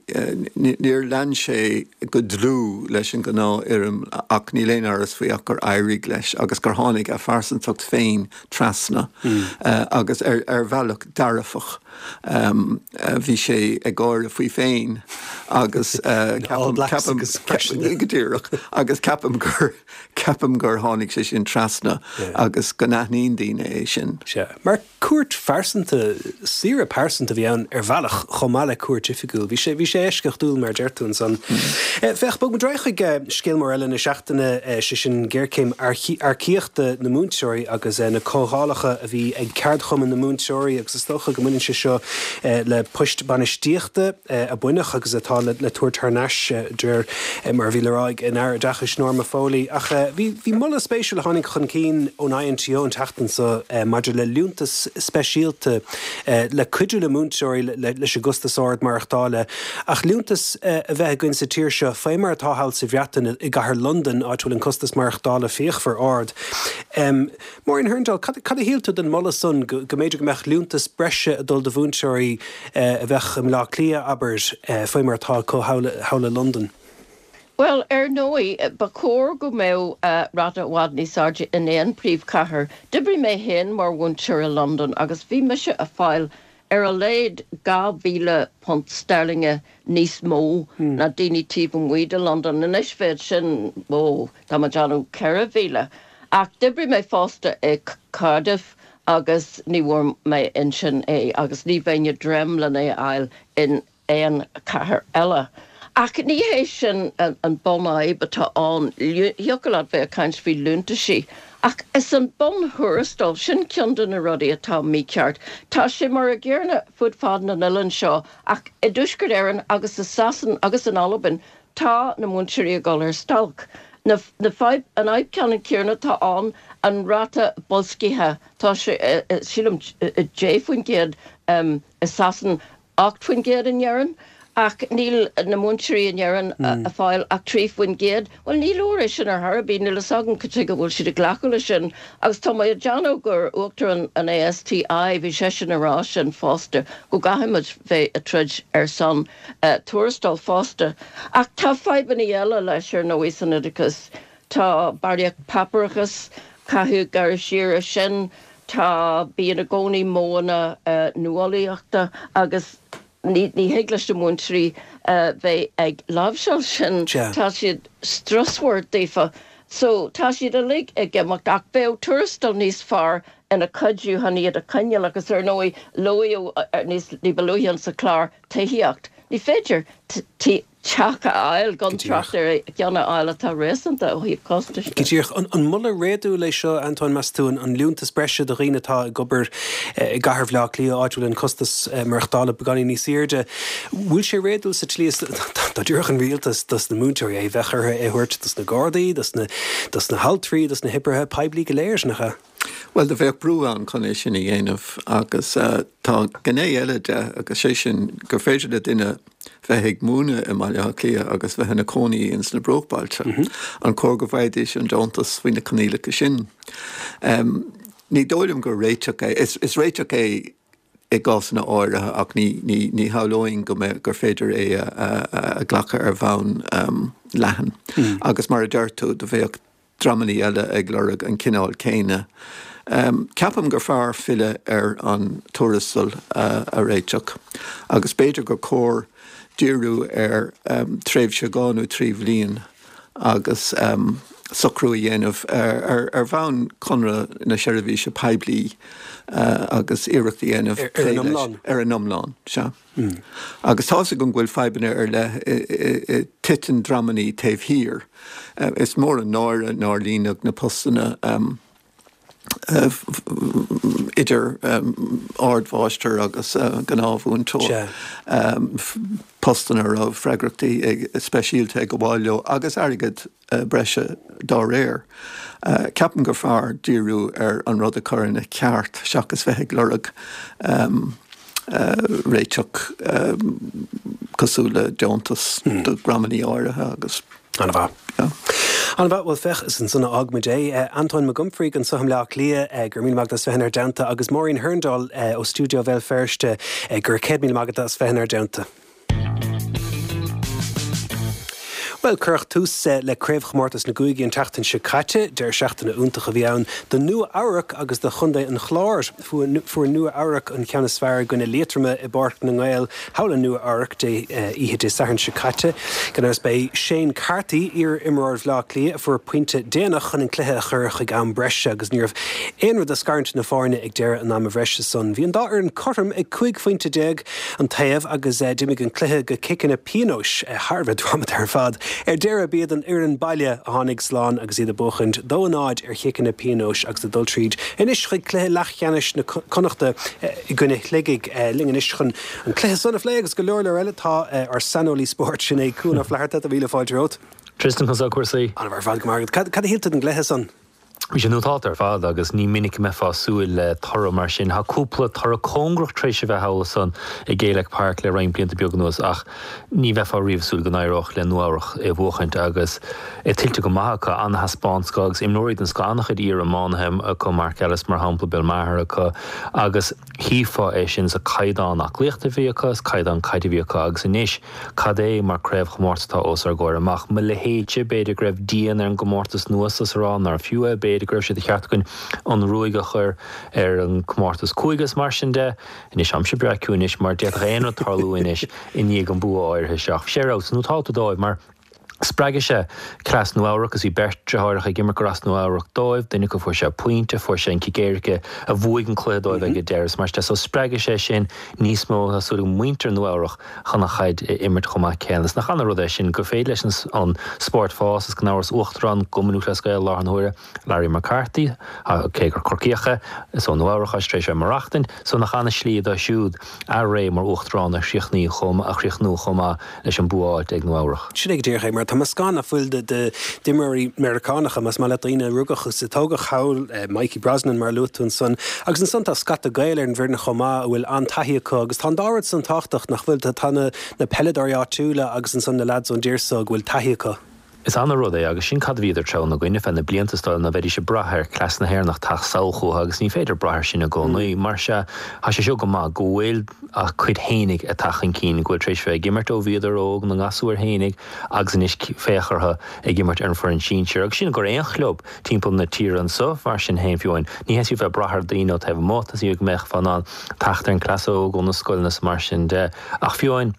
níor lean sé go dlúth leis an ngnáthfhoirm ach níl aon amhras faoi ach gur éirigh leis agus gur tháinig a phearsantacht féin trasna agus ar bhealach dearfach. Bhí sé ag gáire faoi féin agus ceapaim, go díreach, agus ceapaim gur, ceapaim gur tháinig sé sin trasna agus go n-aithníonn daoine é sin. Sea. Mar cuairt phearsanta, saoire pearsanta a bhí ann ar bhealach chomh maith le cuairt oifigiúil. Bhí sé, bhí sé eisceachtúil mar a deir tú ansan. Féach, bogfaimid ar aghaidh chuig scéal mór eile na seachtaine, sé sin géarchéim earcaíochta na múinteoirí agus na comhdhálacha a bhí ag ceardchumann na múinteoirí agus is dócha go mbaineann sé seo le poist bainistíochta a baineadh agus atá le tabhairt thar n-ais de réir mar a bhí le rá ag an Aire Oideachais Norma Foley. Ach bhí bhí moladh spéisiúil a tháinig chun cinn ón INTO an tseachtain seo maidir le liúntas speisialta le cuidiú le múinteoirí leis an gcostas ard maireachtála. Ach liúntas a bheith againn sa tír seo faoi mar atá thall sa Bhreatain i gcathair Londain áit a bhfuil an costas maireachtála fíochmhar ard. Máirín Hurndall, cad a shíl tú den mholadh san, go mb'fhéidir go mbeadh liúntas breise ag dul do mhúinteoirí a bheadh i mBleá Cliath, abair, faoi mar atá acu thall i Londain? Bhuel, ar ndóigh, ba chóir go mbeadh ráta i bhfad níos airde in aon príomhchathair. D'oibrigh mé féin mar mhúinteoir i Londain agus bhí mise a' fáil ar a laghad £2,000 steirlinge níos mó ná daoine taobh amuigh de Londain. Anois bheadh sin, ó, tá mé ag déanamh 4,000. Ach d'oibrigh mé fosta i Cardiff agus ní bhfuair mé ansin é agus ní bheinn ag dréim lena fháil in aon chathair eile. Ach ní hé sin an bunfhadhb atá ann. Thiocfadh leat bheith ag caint faoi liúntaisí, ach is an bun-thuarastal, sin ceann de na rudaí atá mícheart. Tá sé mar a gcéanna fud fad na n-oileán seo, ach i dTuaisceart Éireann agus i Sasain agus in Albain tá na múinteoirí ag dul ar stailc. Na, na fadhb, an fhadhb ceannann céanna atá ann, an ráta boilscithe, tá sé, sílim, 10% i Sasain, 8% in Éirinn, ach níl na múinteoirí in Éirinn a' fáil ach 3%. Bhuel, ní leor é sin ar chor ar bith, níl fhios agam cad chuige a bhfuil siad ag glacadh leis sin. Agus tá mé ag déanamh gur Uachtarán an ASTI, bhí seisean a rá sin fosta, go gcaithfidh muid bheith ag troid ar son tuarastail fosta. Ach tá fadhbanna eile leis, ar ndóigh, san oideachas. Tá barraíocht páipéarachais, caithfidh gearradh siar ar sin. Tá, bíonn i gcónaí modhanna nuálaíochta agus ní thig leis na múinteoirí bheith ag láimhseáil sin, tá siad strusmhar daofa. So, tá siad uilig ag imeacht ach bheadh tuarastal níos fearr ina chuidiú chun iad a choinneáil agus ar ndóigh luaíodh níos ní ba luaithe insa chlár tithíocht. Ní féidir teach a fháil, gan trácht ar cheann a fháil atá réasúnta ó thaobh costais de. Go díreach. An moladh réadúil é seo, Antóin, meas tú, an liúntas breise do dhaoine atá ag obair i gcathair Bhaile Átha Cliath, áit a bhfuil an costas maireachtála beagáinín níos airde, bhfuil sé réadúil sa tslí is dá dtabharfadh an rialtas dos na múinteoirí é, bheadh orthu é a thabhairt dos na Gardaí, dos na, dos na haltraí, dos na hoibrithe poiblí go léir, nach ea? Bhuel, do bheadh brú ann chun é sin a dhéanamh agus tá gné eile de agus sé sin gur féidir le duine bheith ag múineadh i mBaile Átha Cliath agus bheith ina cónaí ins na bruachbailte. An cóir go bhfaighidís an deontas faoi na coinníollacha sin? Ní dóigh liom gur réiteach é. Is réiteach é i gcásanna áirithe ach ní shamhlóinn go mbeadh, gur féidir é a ghlacadh ar bhonn leathan. Agus mar a deir tú, do bheadh dreamanna eile ag lorg an cineál céanna. Ceapaim gur fearr filleadh ar an tuarastal a réiteach agus b'fhéidir gur cóir díriú ar tréimhse dhá nó trí bhliain agus. Socrú a dhéanamh ar bhonn Conradh na Seirbhíse Poiblí agus iarracht a dhéanamh Ar an iomlán? Ar an iomlán, sea. Agus tá's agam go bhfuil fadhbanna ar leith, titeann dreamannaí taobh thiar. Is mór an náire nár líonadh na postanna idir ardmháistir agus gnáthmhúinteoir, postanna a raibh freagrachtaí speisialta ag gabháil leo agus airgead breise dá réir. Ceapaim gur fearr díriú ar an rud a chur ina cheart seachas bheith ag lorg réiteach cosúil le deontas do dhreamannaí áirithe agus. An-mhaith. An-mhaith. Bhuel, féach, is ansan a fhágfaimid é. Antóin Mac Unfraidh anso i mBleá Cliath, go raibh míle maith agat as bheith inár dteannta, agus Máirín Hurndall ó stiúideo Bhéal Feirste, go raibh 100,000 maith agat as bheith inár dteannta. Bhuel, cuireadh tús le Craobhchomórtas na gCúigí an tseachtain seo caite. Deireadh seachtaine iontach a bhí ann do Nua Eabhrac agus do Chontae an Chláir. Fuair Nua Eabhrac an ceann is fearr i gcoinne Liatroma i bPáirc na nGael thall i Nua Eabhrac oíche Dé Sathairn seo caite. Gan amhras b'é Shane Carthy, iar-imreoir Bhaile Átha Cliath, a fuair pointe déanach chun an cluiche a chur chuig am breise agus ní raibh aon rud ag scarúint na foirne ag deireadh an ama bhreise san. Bhí an dá fhoireann cothrom ag 15 phointe an taobh agus d'imigh an cluiche go ciceanna pionóis, thar a bheith drámata ar fad. Ar deireadh, b'iad an fhoireann baile a tháinig slán agus iad ag buachaint 2-0 ar chiceanna pionóis agus ag dul tríd anois chuig cluiche leathcheannais na Connachta i gcoinne Shligigh. Linn anois chun an cluiche san a phlé agus go leor leor eile tá ár saineolaí spóirt, sin é Cuan Ó Flatharta. Tá míle fáilte romhat. Tristan, conas tá cúrsaí? An-mhaith ar fad, go maith agat. Cad a shíl tú den gcluiche san? Bhí sé nótálta ar fad agus ní minic a mbeifeá ag súil le toradh mar sin. Tá cúpla toradh cóngarach tar éis a bheith thall ansan i Gaelic Park le roinnt blianta beaga anuas ach ní bheifeá riamh ag súil go n-éireodh le Nua Eabhrach é a bhuachaint agus é tuillte go maith acu. An-thaispeántas acu agus imreoirí den scoth, an-chuid iar-iománaithe acu, Mark Ellis mar shampla, Bill Maher acu agus chífeá é sin sa caighdeán aclaíochta a bhí acu, sa caighdeán caide a bhí acu agus anois Cad é mar craobhchomórtas atá os ár gcomhair amach? Mo leithéidse, b'fhéidir go raibh dian ar an gcomórtas nua so is a rá nárbh fiú é, b'fhéidir go raibh sé de cheart againn an ruaig a chur ar an gcomórtas cúige is mar sin de. Anois, táimse breá ciúin anois mar d'fhéadfadh aon rud tarlú anois i ndiaidh an bua áirithe seo. Ach bhí sé ar fheabhas, nótálta dóibh mar spreag sé cleas Nua Eabhrac agus bhí beirt deartháireacha ag imirt gur as Nua Eabhrac dóibh, duine acu fuair sé pointe, fuair sé an cic éirice a bhuaigh an cluiche dóibh ag an deireadh is mar sin de. So spreagfaidh sé sin níos mó, tá súil ag muintir Nua Eabhrac chun an chaid a imirt chomh maith céanna. Is nach ana-rud é sin gur féidir leis an spórt fás is gan amhras Uachtarán Chumann Lúthchleas Gael i láthair na huaire, Larry McCarthy, cé gur Corcaíoch é, is ó Nua Eabhrach é tar éis a bheith ag maireachtaint, so nach ana-shlí dó siúd a ré mar Uachtarán a chríochnú chomh maith leis an bua a fháilt ag Nua Eabhrach. Sin é go díreach é, mar tá meascán ná fuil d'imreoirí Meiriceánacha, más maith leat, daoine a rugadh is a tógadh thall, Mikey Brosnan mar a luaigh tú ansan, agus ansan tá scata Gael ar an bhfoireann chomh maith a bhfuil an-taithí acu agus tá an dá rud san tábhachtach, nach bhfuil? Tá na peileadóirí áitiúla agus ansan na leaids ón dtír so go bhfuil taithí acu. Is ana-rud é, agus sin cad a bhíodar treabhadh 'na gcoinne feadh na blianta, is dóigh liom, ná bheidís ag brath ar chleas na hÉireannach teacht sall chucu, agus ní féidir brath air sin i gcónaí. Mar sea, tá sé seo go maith, go bhfuil a gcuid fhéinig ag teacht chun cinn, go bhfuil tar éis bheith ag imirt ó bhíodar óg, na ngasúir fhéinig, agus anois féach orthu ag imirt ar an foireann sinsir. Agus sin gur aon chlub timpeall na tíre anso, mar sin féin, fiú amháin, ní theastaíonn bheith ag brath ar daoine ó taobh amuigh, theastaigh go mbeifeá in ann teacht ar an cleas óg ó na scoileanna is mar sin de. Ach fiú amháin.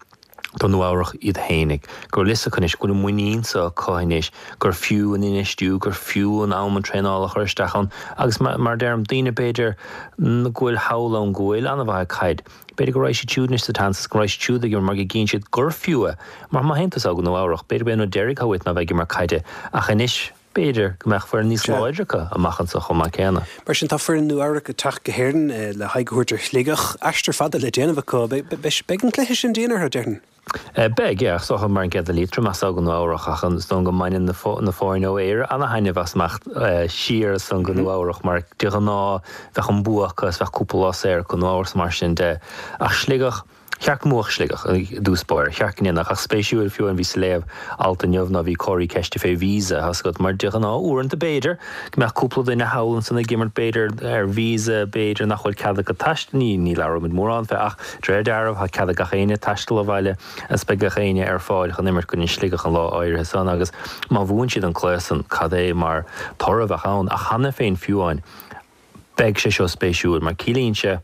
do Nua Eabhrach iad fhéinig, go bhfuil fhios acu anois, go bhfuil an muinín so acu anois gur fiú an infheistiú, gur fiú an am an traenáil a chur isteach ann agus mar a deirim, daoine b'fhéidir go bhfuil thall ann go bhfuil an-mhaith ag caid, b'fhéidir go raghaidh siad siúd anois sa tseans is go raghaidh siad siúd ag imirt mar go gcíonn siad gur fiú é. Mar má théann tusa go Nua Eabhrach, b'fhéidir b'é an rud deiridh atá uait ná bheith ag imirt caide ach anois, B'fhéidir go mbeadh foireann níos láidre acu amach anseo chomh maith céanna. Mar sin, tá foireann Nua Eabhrac ag teacht go hÉirinn le haghaidh a thabhairt ar Shligeach. Aistear fada le déanamh acu. Beidh an cluiche sin dian orthu, déarfainn. Beidh, yeah. Is dócha mar an gcéanna Liatroim as go Nua Eabhrach ach is dóigh go mbaineann na foirne ó Éire ana-thaitneamh as imeacht siar ansan go Nua Eabhrach mar de ghnáth bheadh an bua acu is bheadh cúpla lá saor acu Nua Eabhrach is mar sin de. Ach Sligeach, Cheart go mbuafadh Sligeach i dtús báire. Cheart go ndéanfadh. Ach spéisiúil, fiú amháin bhíos ag léamh alt inniu ná bhí comharthaí ceiste fé visa, tá's agat, mar de ghnáth uaireanta b'fhéidir go mbeadh cúpla duine thall ansan ag imirt b'fhéidir ar visa, b'fhéidir nach bhfuil cead acu taisteal, ní, ní labhróimid mórán fé ach de réir dealraimh tá cead ag gach éinne taisteal abhaile agus beidh gach éinne ar fáil chun imirt i gcoinne Sligeach an lá áirithe san agus má bhuann siad an cluiche san cad é mar toradh a bheadh ann. Ach cheana féin fiú amháin beidh sé seo spéisiúil mar ciallaíonn sé.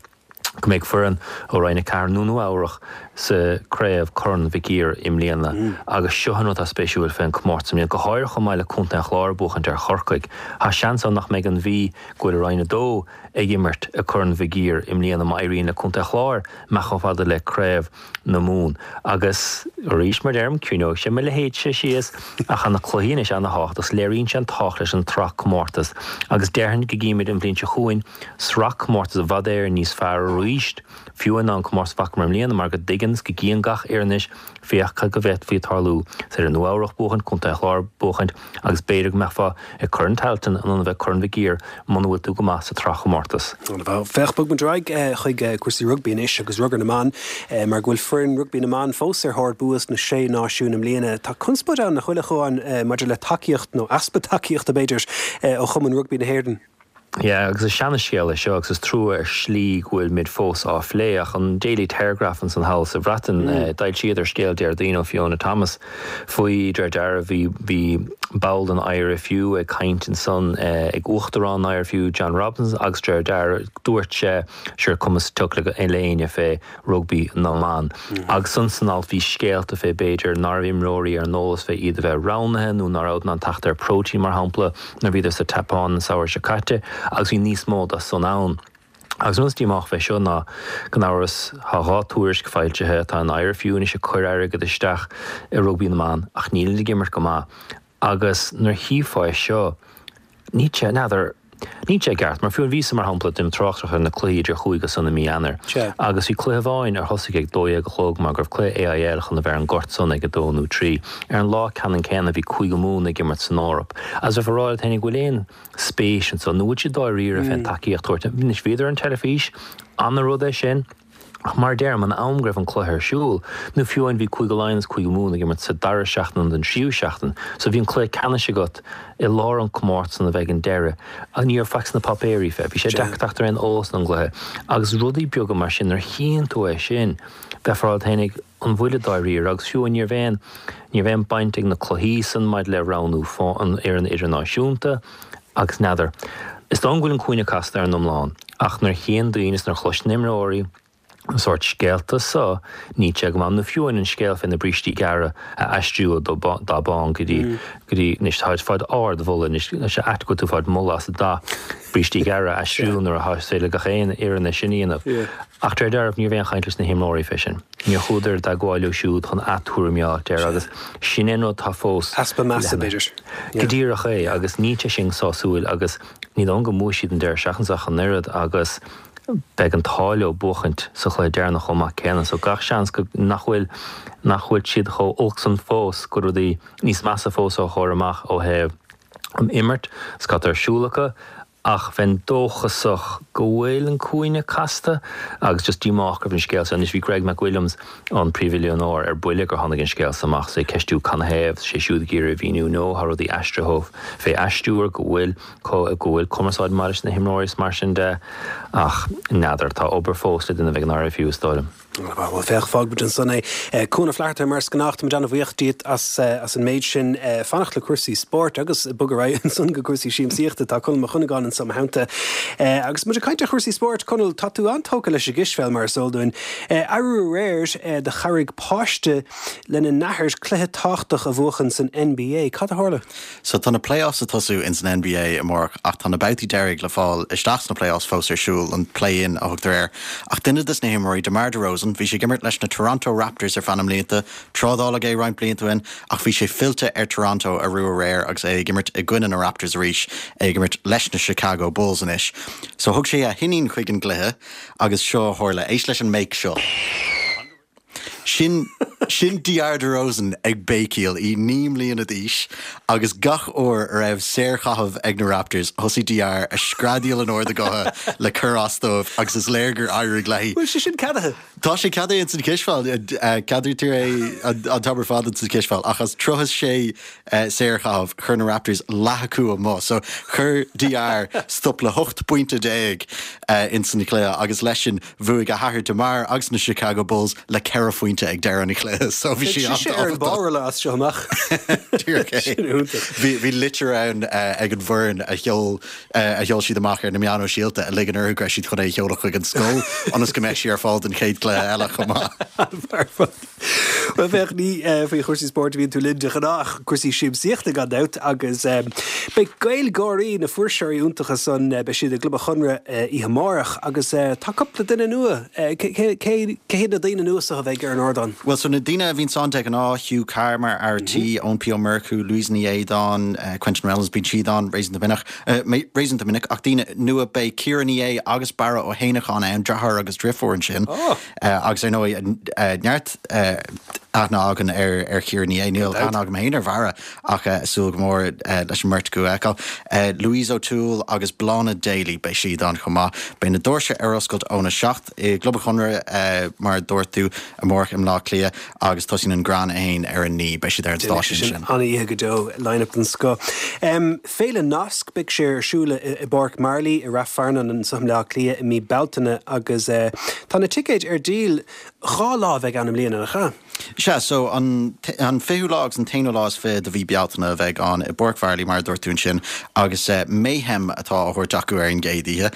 Go mbeidh foireann ó Roinn 4 nó Nua Eabhrach sa craobh Corn Mhic Uidhir i mbliana agus seo an rud atá spéisiúil fén comórtas i mbliana, go háirithe chomh maith le Contae an Chláir ag buachaint ar Chorcaigh. Tá seans ann nach mbeidh an Mhí go bhfuil i Roinn 2 ag imirt i Corn Mhig Uidhir i mbliana má éiríonn le Contae an Chláir imeacht chomh fada le Craobh na Mumhan. Agus arís, mar deirim, ciúineoidh sé mo leithéidse síos, ach tá na cluichí anois ana-thábhachtach, léiríonn sé an tábhacht leis an tsraith comórtas agus déarfainn go gcífimid an bhliain seo chugainn sraith comórtas i bhfad Éireann níos fearr arís, fiú ná an comórtas a bhfacamar i mbliana, mar go dtuigeann is go gcíonn gach fhoireann anois, féach cad go bhféadfaí tarlú. Is féidir Nua Eabhrach buachaint, Contae an Chláir buachaint agus b'fhéidir go mbeifeá ag Corn Tailteann in ionad a bheith Corn Mhic Uidhir muna bhfuil tú go maith sa tsraithchomórtas. Féach, bogfaidh muid ar aghaidh chuig cúrsaí rugbaí anois agus rugar na mban, mar go bhfuil foireann rugbaí na mban fós ar thóir bua sna Sé Náisiún i mbliana. Tá conspóid ann, nach bhfuil, a Chuáin, maidir le tacaíocht, nó easpa tacaíochta b'fhéidir, ó Chumann Rugbaí na hÉireann. Yeah, agus is seana-scéal é seo agus is trua ar shlí go bhfuilimid fós á phlé, ach an Daily Telegraph ansan thall sa Bhreatain, d'fhoilsíodar scéal Déardaoin ó Fiona Thomas faoi, de réir dealraimh, bhí, bhí ball den IRFU ag caint ansan ag Uachtarán an IRFU, John Robinson, agus de réir dealraimh dúirt sé, sure, cuma sa tsioc le éinne fé rugbaí na mban. Agus ansan san alt bhí scéalta fé b'fhéidir ná raibh imreoirí ar an eolas fé iad a bheith roghnaithe nó ná rabhadar in ann teacht ar próitéin mar shampla nuair a bhíodar sa tSeapáin an samhradh seo caite agus bhí níos mó dá san ann. Agus an rud is díomách fé seo ná gan amhras tá 2 tuairisc foilsithe, tá an IRFU anois ag cur airgead isteach i rugbaí na mban ach nílid ag imirt go maith. Agus nuair a chífeá é seo, níl sé, n'fheadar, níl sé i gceart, mar fiú an mhí seo, mar shampla, déanaim tráchtaireacht ar na cluichí idir chúige san i mí Eanáir, agus bhí cluiche amháin ar thosaigh ag 12 a chlog mar go raibh cluiche AIL chun a bheith ar an ngort san ag 2 nó 3. Ar an lá ceannann céanna bhí Cúige Mumhan ag imirt san Eoraip. Agus bheifeá ag rá leat féin an bhfuil aon spéis anso, nó bhfuil siad dáiríre fén tacaíocht a thabhairt. Anois bhíodar ar an teilifís, ana-rud é sin. Ach mar a deirim, an am go raibh an cluiche ar siúl, nó fiú amháin bhí Cúige Laighean is Cúige Mumhan ag imirt sa dara seachtain den tríú seachtain, so bhí an cluiche ceannais agat i lár an comórtas san a bheith ag an deireadh, ní raibh faic sna páipéirí fé, bhí sé deacair teacht ar aon eolas don gcluiche. Agus rudaí beaga mar sin, nuair a chíonn tú é sin, bheifeá ag rá leat fhéinig, an bhfuilid dáiríre? Agus fiú amháin ní raibh aon, ní raibh aon baint ag na cluichí san maidir le roghnú an fhoireann idirnáisiúnta, Agus n'fheadar. Is dóigh go bhfuil an cúinne casta ar an iomlán, ach nuair a chíonn daoine is nuair a chloiseann imreoirí an sórt scéalta so, níl sé go maith. Nó fiú amháin an scéal fé na brístí gearra a aistriú ó dath bán go dtí, go dtí, anois táid fáid ard-mholadh, anois tá sé ait go bhfuil tú fáid moladh as an dath brístí gearra a aistriú nuair atá is féidir le gach aon fhoireann é sin a dhéanamh. Ach de réir dealraimh ní raibh aon chaint leis na himreoirí fé sin. Níor chuadar i dteagmháil leo siúd chun a dtuairimí a fháilt air agus sin é an rud atá fós Easpa measa, b'fhéidir. Go díreach é agus níl sé sin sásúil agus ní dóigh liom go mbuafaidh siad an deireadh seachtaine seo ach an oiread agus beidh an t-ádh leo buachaint sa chluiche deireanach chomh maith céanna so gach seans go nach bhfuil nach bhfuil siad chomh olc san fós go rudaí níos measa fós á chur amach ó thaobh an imirt is cad tá ar siúl acu Ach bheinn dóchasach go bhfuil an cúinne casta agus just díomách go raibh an scéal seo. Anois bhí Greg McWilliams, an príomhoiliúnóir, ar buile gur tháinig an scéal seo amach is é ag ceistiú canathaobh, sé siúd ag iarraidh a mhíniú no tá rudaí aistrithe fé aistriúr, go bhfuil go bhfuil cumarsáid maith leis na himreoirí is mar sin de. Ach n'fheadar, tá obair fós le déanamh ag an IRFU is dóigh liom. Bhuel, féach, fágfaidh muid ansan é. Cuan Ó Flatharta, mar is gnách, táimid an-bhuíoch díot as an méid sin. Fanacht le cúrsaí spóirt agus bogadh ar aghaidh ansan go cúrsaí siamsaíochta. Tá Conall Mac Dhonnagáin anso i mo theannta. Agus muid ag caint ar chúrsaí spóirt, Conall, tá tú an-tógtha leis an gcispheil, mar is eol dúinn. Arú aréir, do chabhraigh páiste lena n-athair cluiche tábhachtach a bhuachan san NBA. Cad a tharla? So tá na playoffs ag tosú ins an NBA amárach ach tá na babhtaí deiridh le fáil isteach sna playoffs fós ar siúl, an play-in a thugtar air. Ach duine des na himreoirí, DeMar DeRozan, bhí sé ag imirt leis na Toronto Raptors ar feadh na mblianta, trádáladh é roinnt blianta ó shin ach bhí sé fillte ar Toronto arú aréir agus é ag imirt i gcoinne na Raptors arís, é ag imirt leis na Chicago Bulls anois. So thug sé a hiníon chuig an gcluiche agus seo a tharla, éist leis an mbéic seo. Sin, sin DR DeRozan ag béicíl, í 9 mbliana d'aois, agus gach uair a raibh saorchaitheamh ag na Raptors, thosaigh DR a screadaíl in ard a gutha le cur as dóibh agus is léir gur éirigh léi. Bhfuil sé sin ceadaithe? Tá sé ceadaithe ins an chispheil, ceadaítear é an t-am ar fad ins an chispheil, ach as 36 saorchaitheamh, chuir na Raptors leath acu amuigh. So chuir DR stop le 18 bpointe ins an chluiche agus leis sin, Bhuaigh a hathair DeMar agus na Chicago Bulls le 14 phointe. pointe ag deireadh an chluiche so bhí sí Beidh sise ar an bpárolla as seo amach. Díreach é. Sin iontach. Bhí bhí litir ann ag an bhfoireann a sheol a sheol siad amach ar na meáin shóisialta a ligean orthu go raibh siad chun é a sheoladh chuig an scoil ionas go mbeadh sí ar fáil don chéad chluiche eile chomh maith. Bhuel féach, ní faoi chúrsaí spóirt a bhíonn tú linn de ghnáth ach cúrsaí siamsaíochta gan dabht agus beidh GaelGÁIRÍ, na fuirseoirí iontacha san, beidh siad i gClub an Chonradh oíche amárach agus tá cúpla duine nua, cé hiad na daoine nua seo a bheidh ar an ardán? Bhuel so na daoine a bhíonns ann de ghnáth, Hugh Carr mar fhear tí, Eoin P Ó Murchú, Louise Ní Aodáin, Quentin Reynolds, bíonn siad ann réasúnta minic, réasúnta minic ach daoine nua beidh Ciara Ní É agus Barra Ó hÉineacháin ann, deartháir agus driofúr ansin. Agus ar ndóigh, neart aithne againn ar Chiara Ní É. Níl aithne agam féin ar Bharra ach súil go mór leis an mbeirt acu a fheiceáil. Louise O'Toole agus Bláthnaid Daly, beidh siad ann chomh maith. Beidh na doirse ar oscailt óna 7 i gClub an Chonradh, mar a dúirt tú, amárach i mBleá Cliath agus tosaíonn an greann féin ar a 9. Beidh siad ar an stáitse ansin. An-oíche go deo, line-up den scoth. Féile Nasc, beidh sé ar siúl i bPáirc Marley i Rath Fearnáin anseo i mBleá Cliath i mí Bealtaine agus tá na ticéid ar díol. 2 lá a bheidh ann i mbliana, nach ea? Sea, so an an fichiú lá agus an t-aonú lá is fiche de mhí Bealtaine a bheidh ann i bPáirc Mharlaí mar a dúirt tú ansin agus Mayhem atá á thabhairt acu ar an gcéad oíche.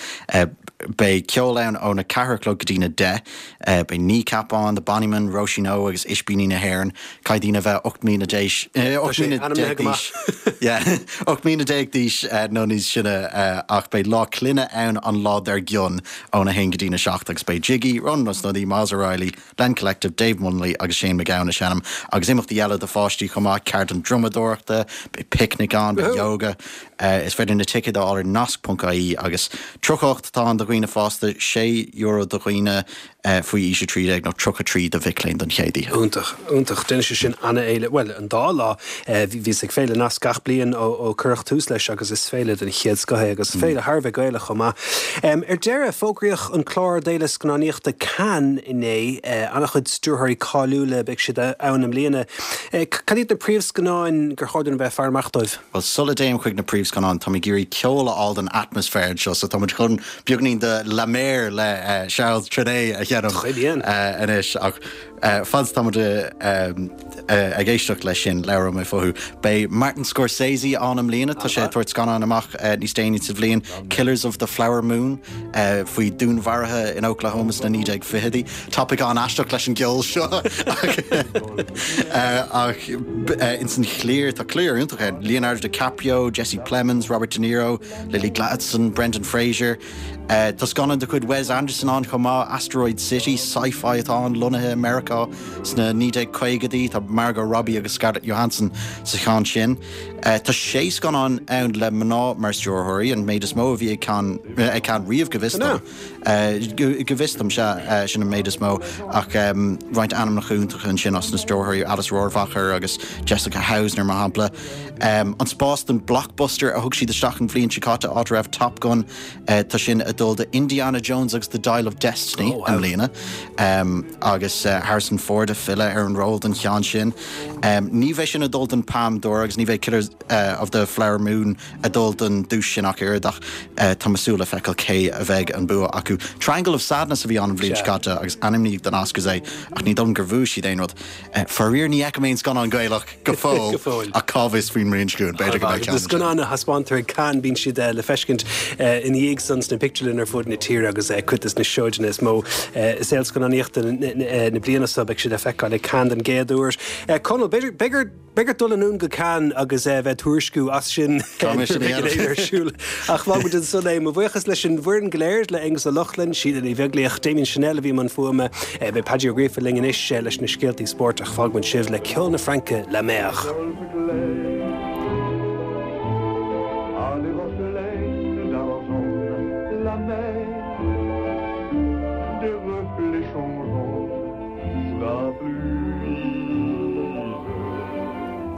Beidh ceol ann óna ceathair a chlog go dtína deich. Beidh Kneecap ann, The Bonnymen, Róisín Ó agus Ispíní na hÉireann. Caithfidh daoine a bheith 18 mbliana d'aois, 18 mbliana d'aois, yeah, 18 mbliana d'aois nó níos sine ach beidh Lá Clainne ann an lá dár gcionn óna haon go dtína seacht agus beidh Jiggy, Rónán Ó Snodaigh, Myles O'Reilly, Len Collective, Dave Munnelly agus Shane MacGowan ag seinm agus imeachtaí eile do pháistí chomh maith, ceardlann drumadóireachta, beidh picnic ann, beidh yoga. Is féidir na ticéid a fháil ar nasc.ie agus 38 atá ann do dhaoine fásta, €6 do dhaoine faoi aois 13 nó 33 do mhic léinn don chéad oíche. Iontach, iontach. Déanfaidh sé sin an-fhéile, bhuel, an dá lá. Bhíos ag Féile Nasc gach bliain ó cuireadh tús leis agus is féile den chéad scoth é agus féile thar a bheith Gaelach chomh maith. Ar deireadh, fógraíodh an clár d'Fhéile Scannánaíochta Cannes inné. An-chuid stiúrthóirí cáiliúla, beidh siad ann i mbliana. Cad iad na príomhscannáin gur chóir dúinn a bheith ag faire amach dóibh? Bhuel, sula dtéim chuig na príomhscannáin, táim ag iarraidh ceol a fháil don atmaisféar anseo, so tá muid chun beagainín de La Mer le Charles Trenet a sheinm anois. Ach fad is atá muid ag éisteacht leis sin, labhróidh mé fúthu. Beidh Martin Scorsese ann i mbliana, tá sé ag tabhairt scannán amach níos déanaí sa bhliain, Killers of the Flower Moon, faoi dúnmharuithe in Oklahoma sna 1920idí. Topaic an-aisteach leis an gceol seo ach ins an chliar, tá cliar iontach ann, Leonardo DiCaprio, Jesse Plemons, Robert De Niro, Lily Gladstone, Brendan Fraser. Tá scannán de chuid Wes Anderson ann chomh maith, Asteroid City, sci-fi atá ann, lonnaithe i Meiriceá sna 1950idí. Tá Margot Robbie agus Scarlett Johansson sa cheann sin. Tá sé scannán ann le mná mar stiúrthóirí, an méid is mó a bhí ag Cannes riamh go bhfios dom. Go bhfios dom, sea, sin an méid is mó. Ach roinnt ainmneacha iontacha ansin as na stiúrthóirí, Alice Rohrwacher agus Jessica Hausner, mar shampla. An spás don blockbuster a thug siad isteach an bhliain seo caite, áit a raibh Top Gun, tá sin ag dul do Indiana Jones agus The Dial of Destiny i mbliana. Agus Harrison Ford ag filleadh ar an ról don cheann sin. Ní bheidh sin ag dul don Palme d'Or agus ní bheidh Killers of the Flower Moon ag dul don duais sin ach oiread ach tá mé ag súil le feiceáil cé a bheidh an bua acu. Triangle of Sadness a bhí ann an bhliain seo caite agus ainmníodh don Oscars é ach ní dóigh liom gur bhuaigh siad aon rud. Faraor ní fheicim aon scannán Gaelach go fóill ach cá bhfios faoin mbliain seo chugainn, b'fhéidir go mbeidh ceann Na scannáin a thaispeántar ag Cannes bíonn siad le feiscint ina dhiaidh san sna pictiúrlanna ar fud na tíre agus cuid des na seoideanna is mó i saol scannánaíochta na bliana seo beidh siad le feiceáil ag Cannes den gcéad uair. Conall, b'fhéidir Beidh ort dul anonn go Cannes agus bheith ag tuairisciú as sin ar siúl. Ach fágfaidh muid ansan é. Mo bhuíochas leis an bhfoireann go léir, le Aonghus Ó Lochlainn, Síle Ní Bheaglaoich, Damien Channel a bhí i mbun fuaime. Beidh Paidí Ó Gríofa linn anois leis na scéaltaí spóirt ach fágfaidh muid sibh le ceol na Fraince, La Mer.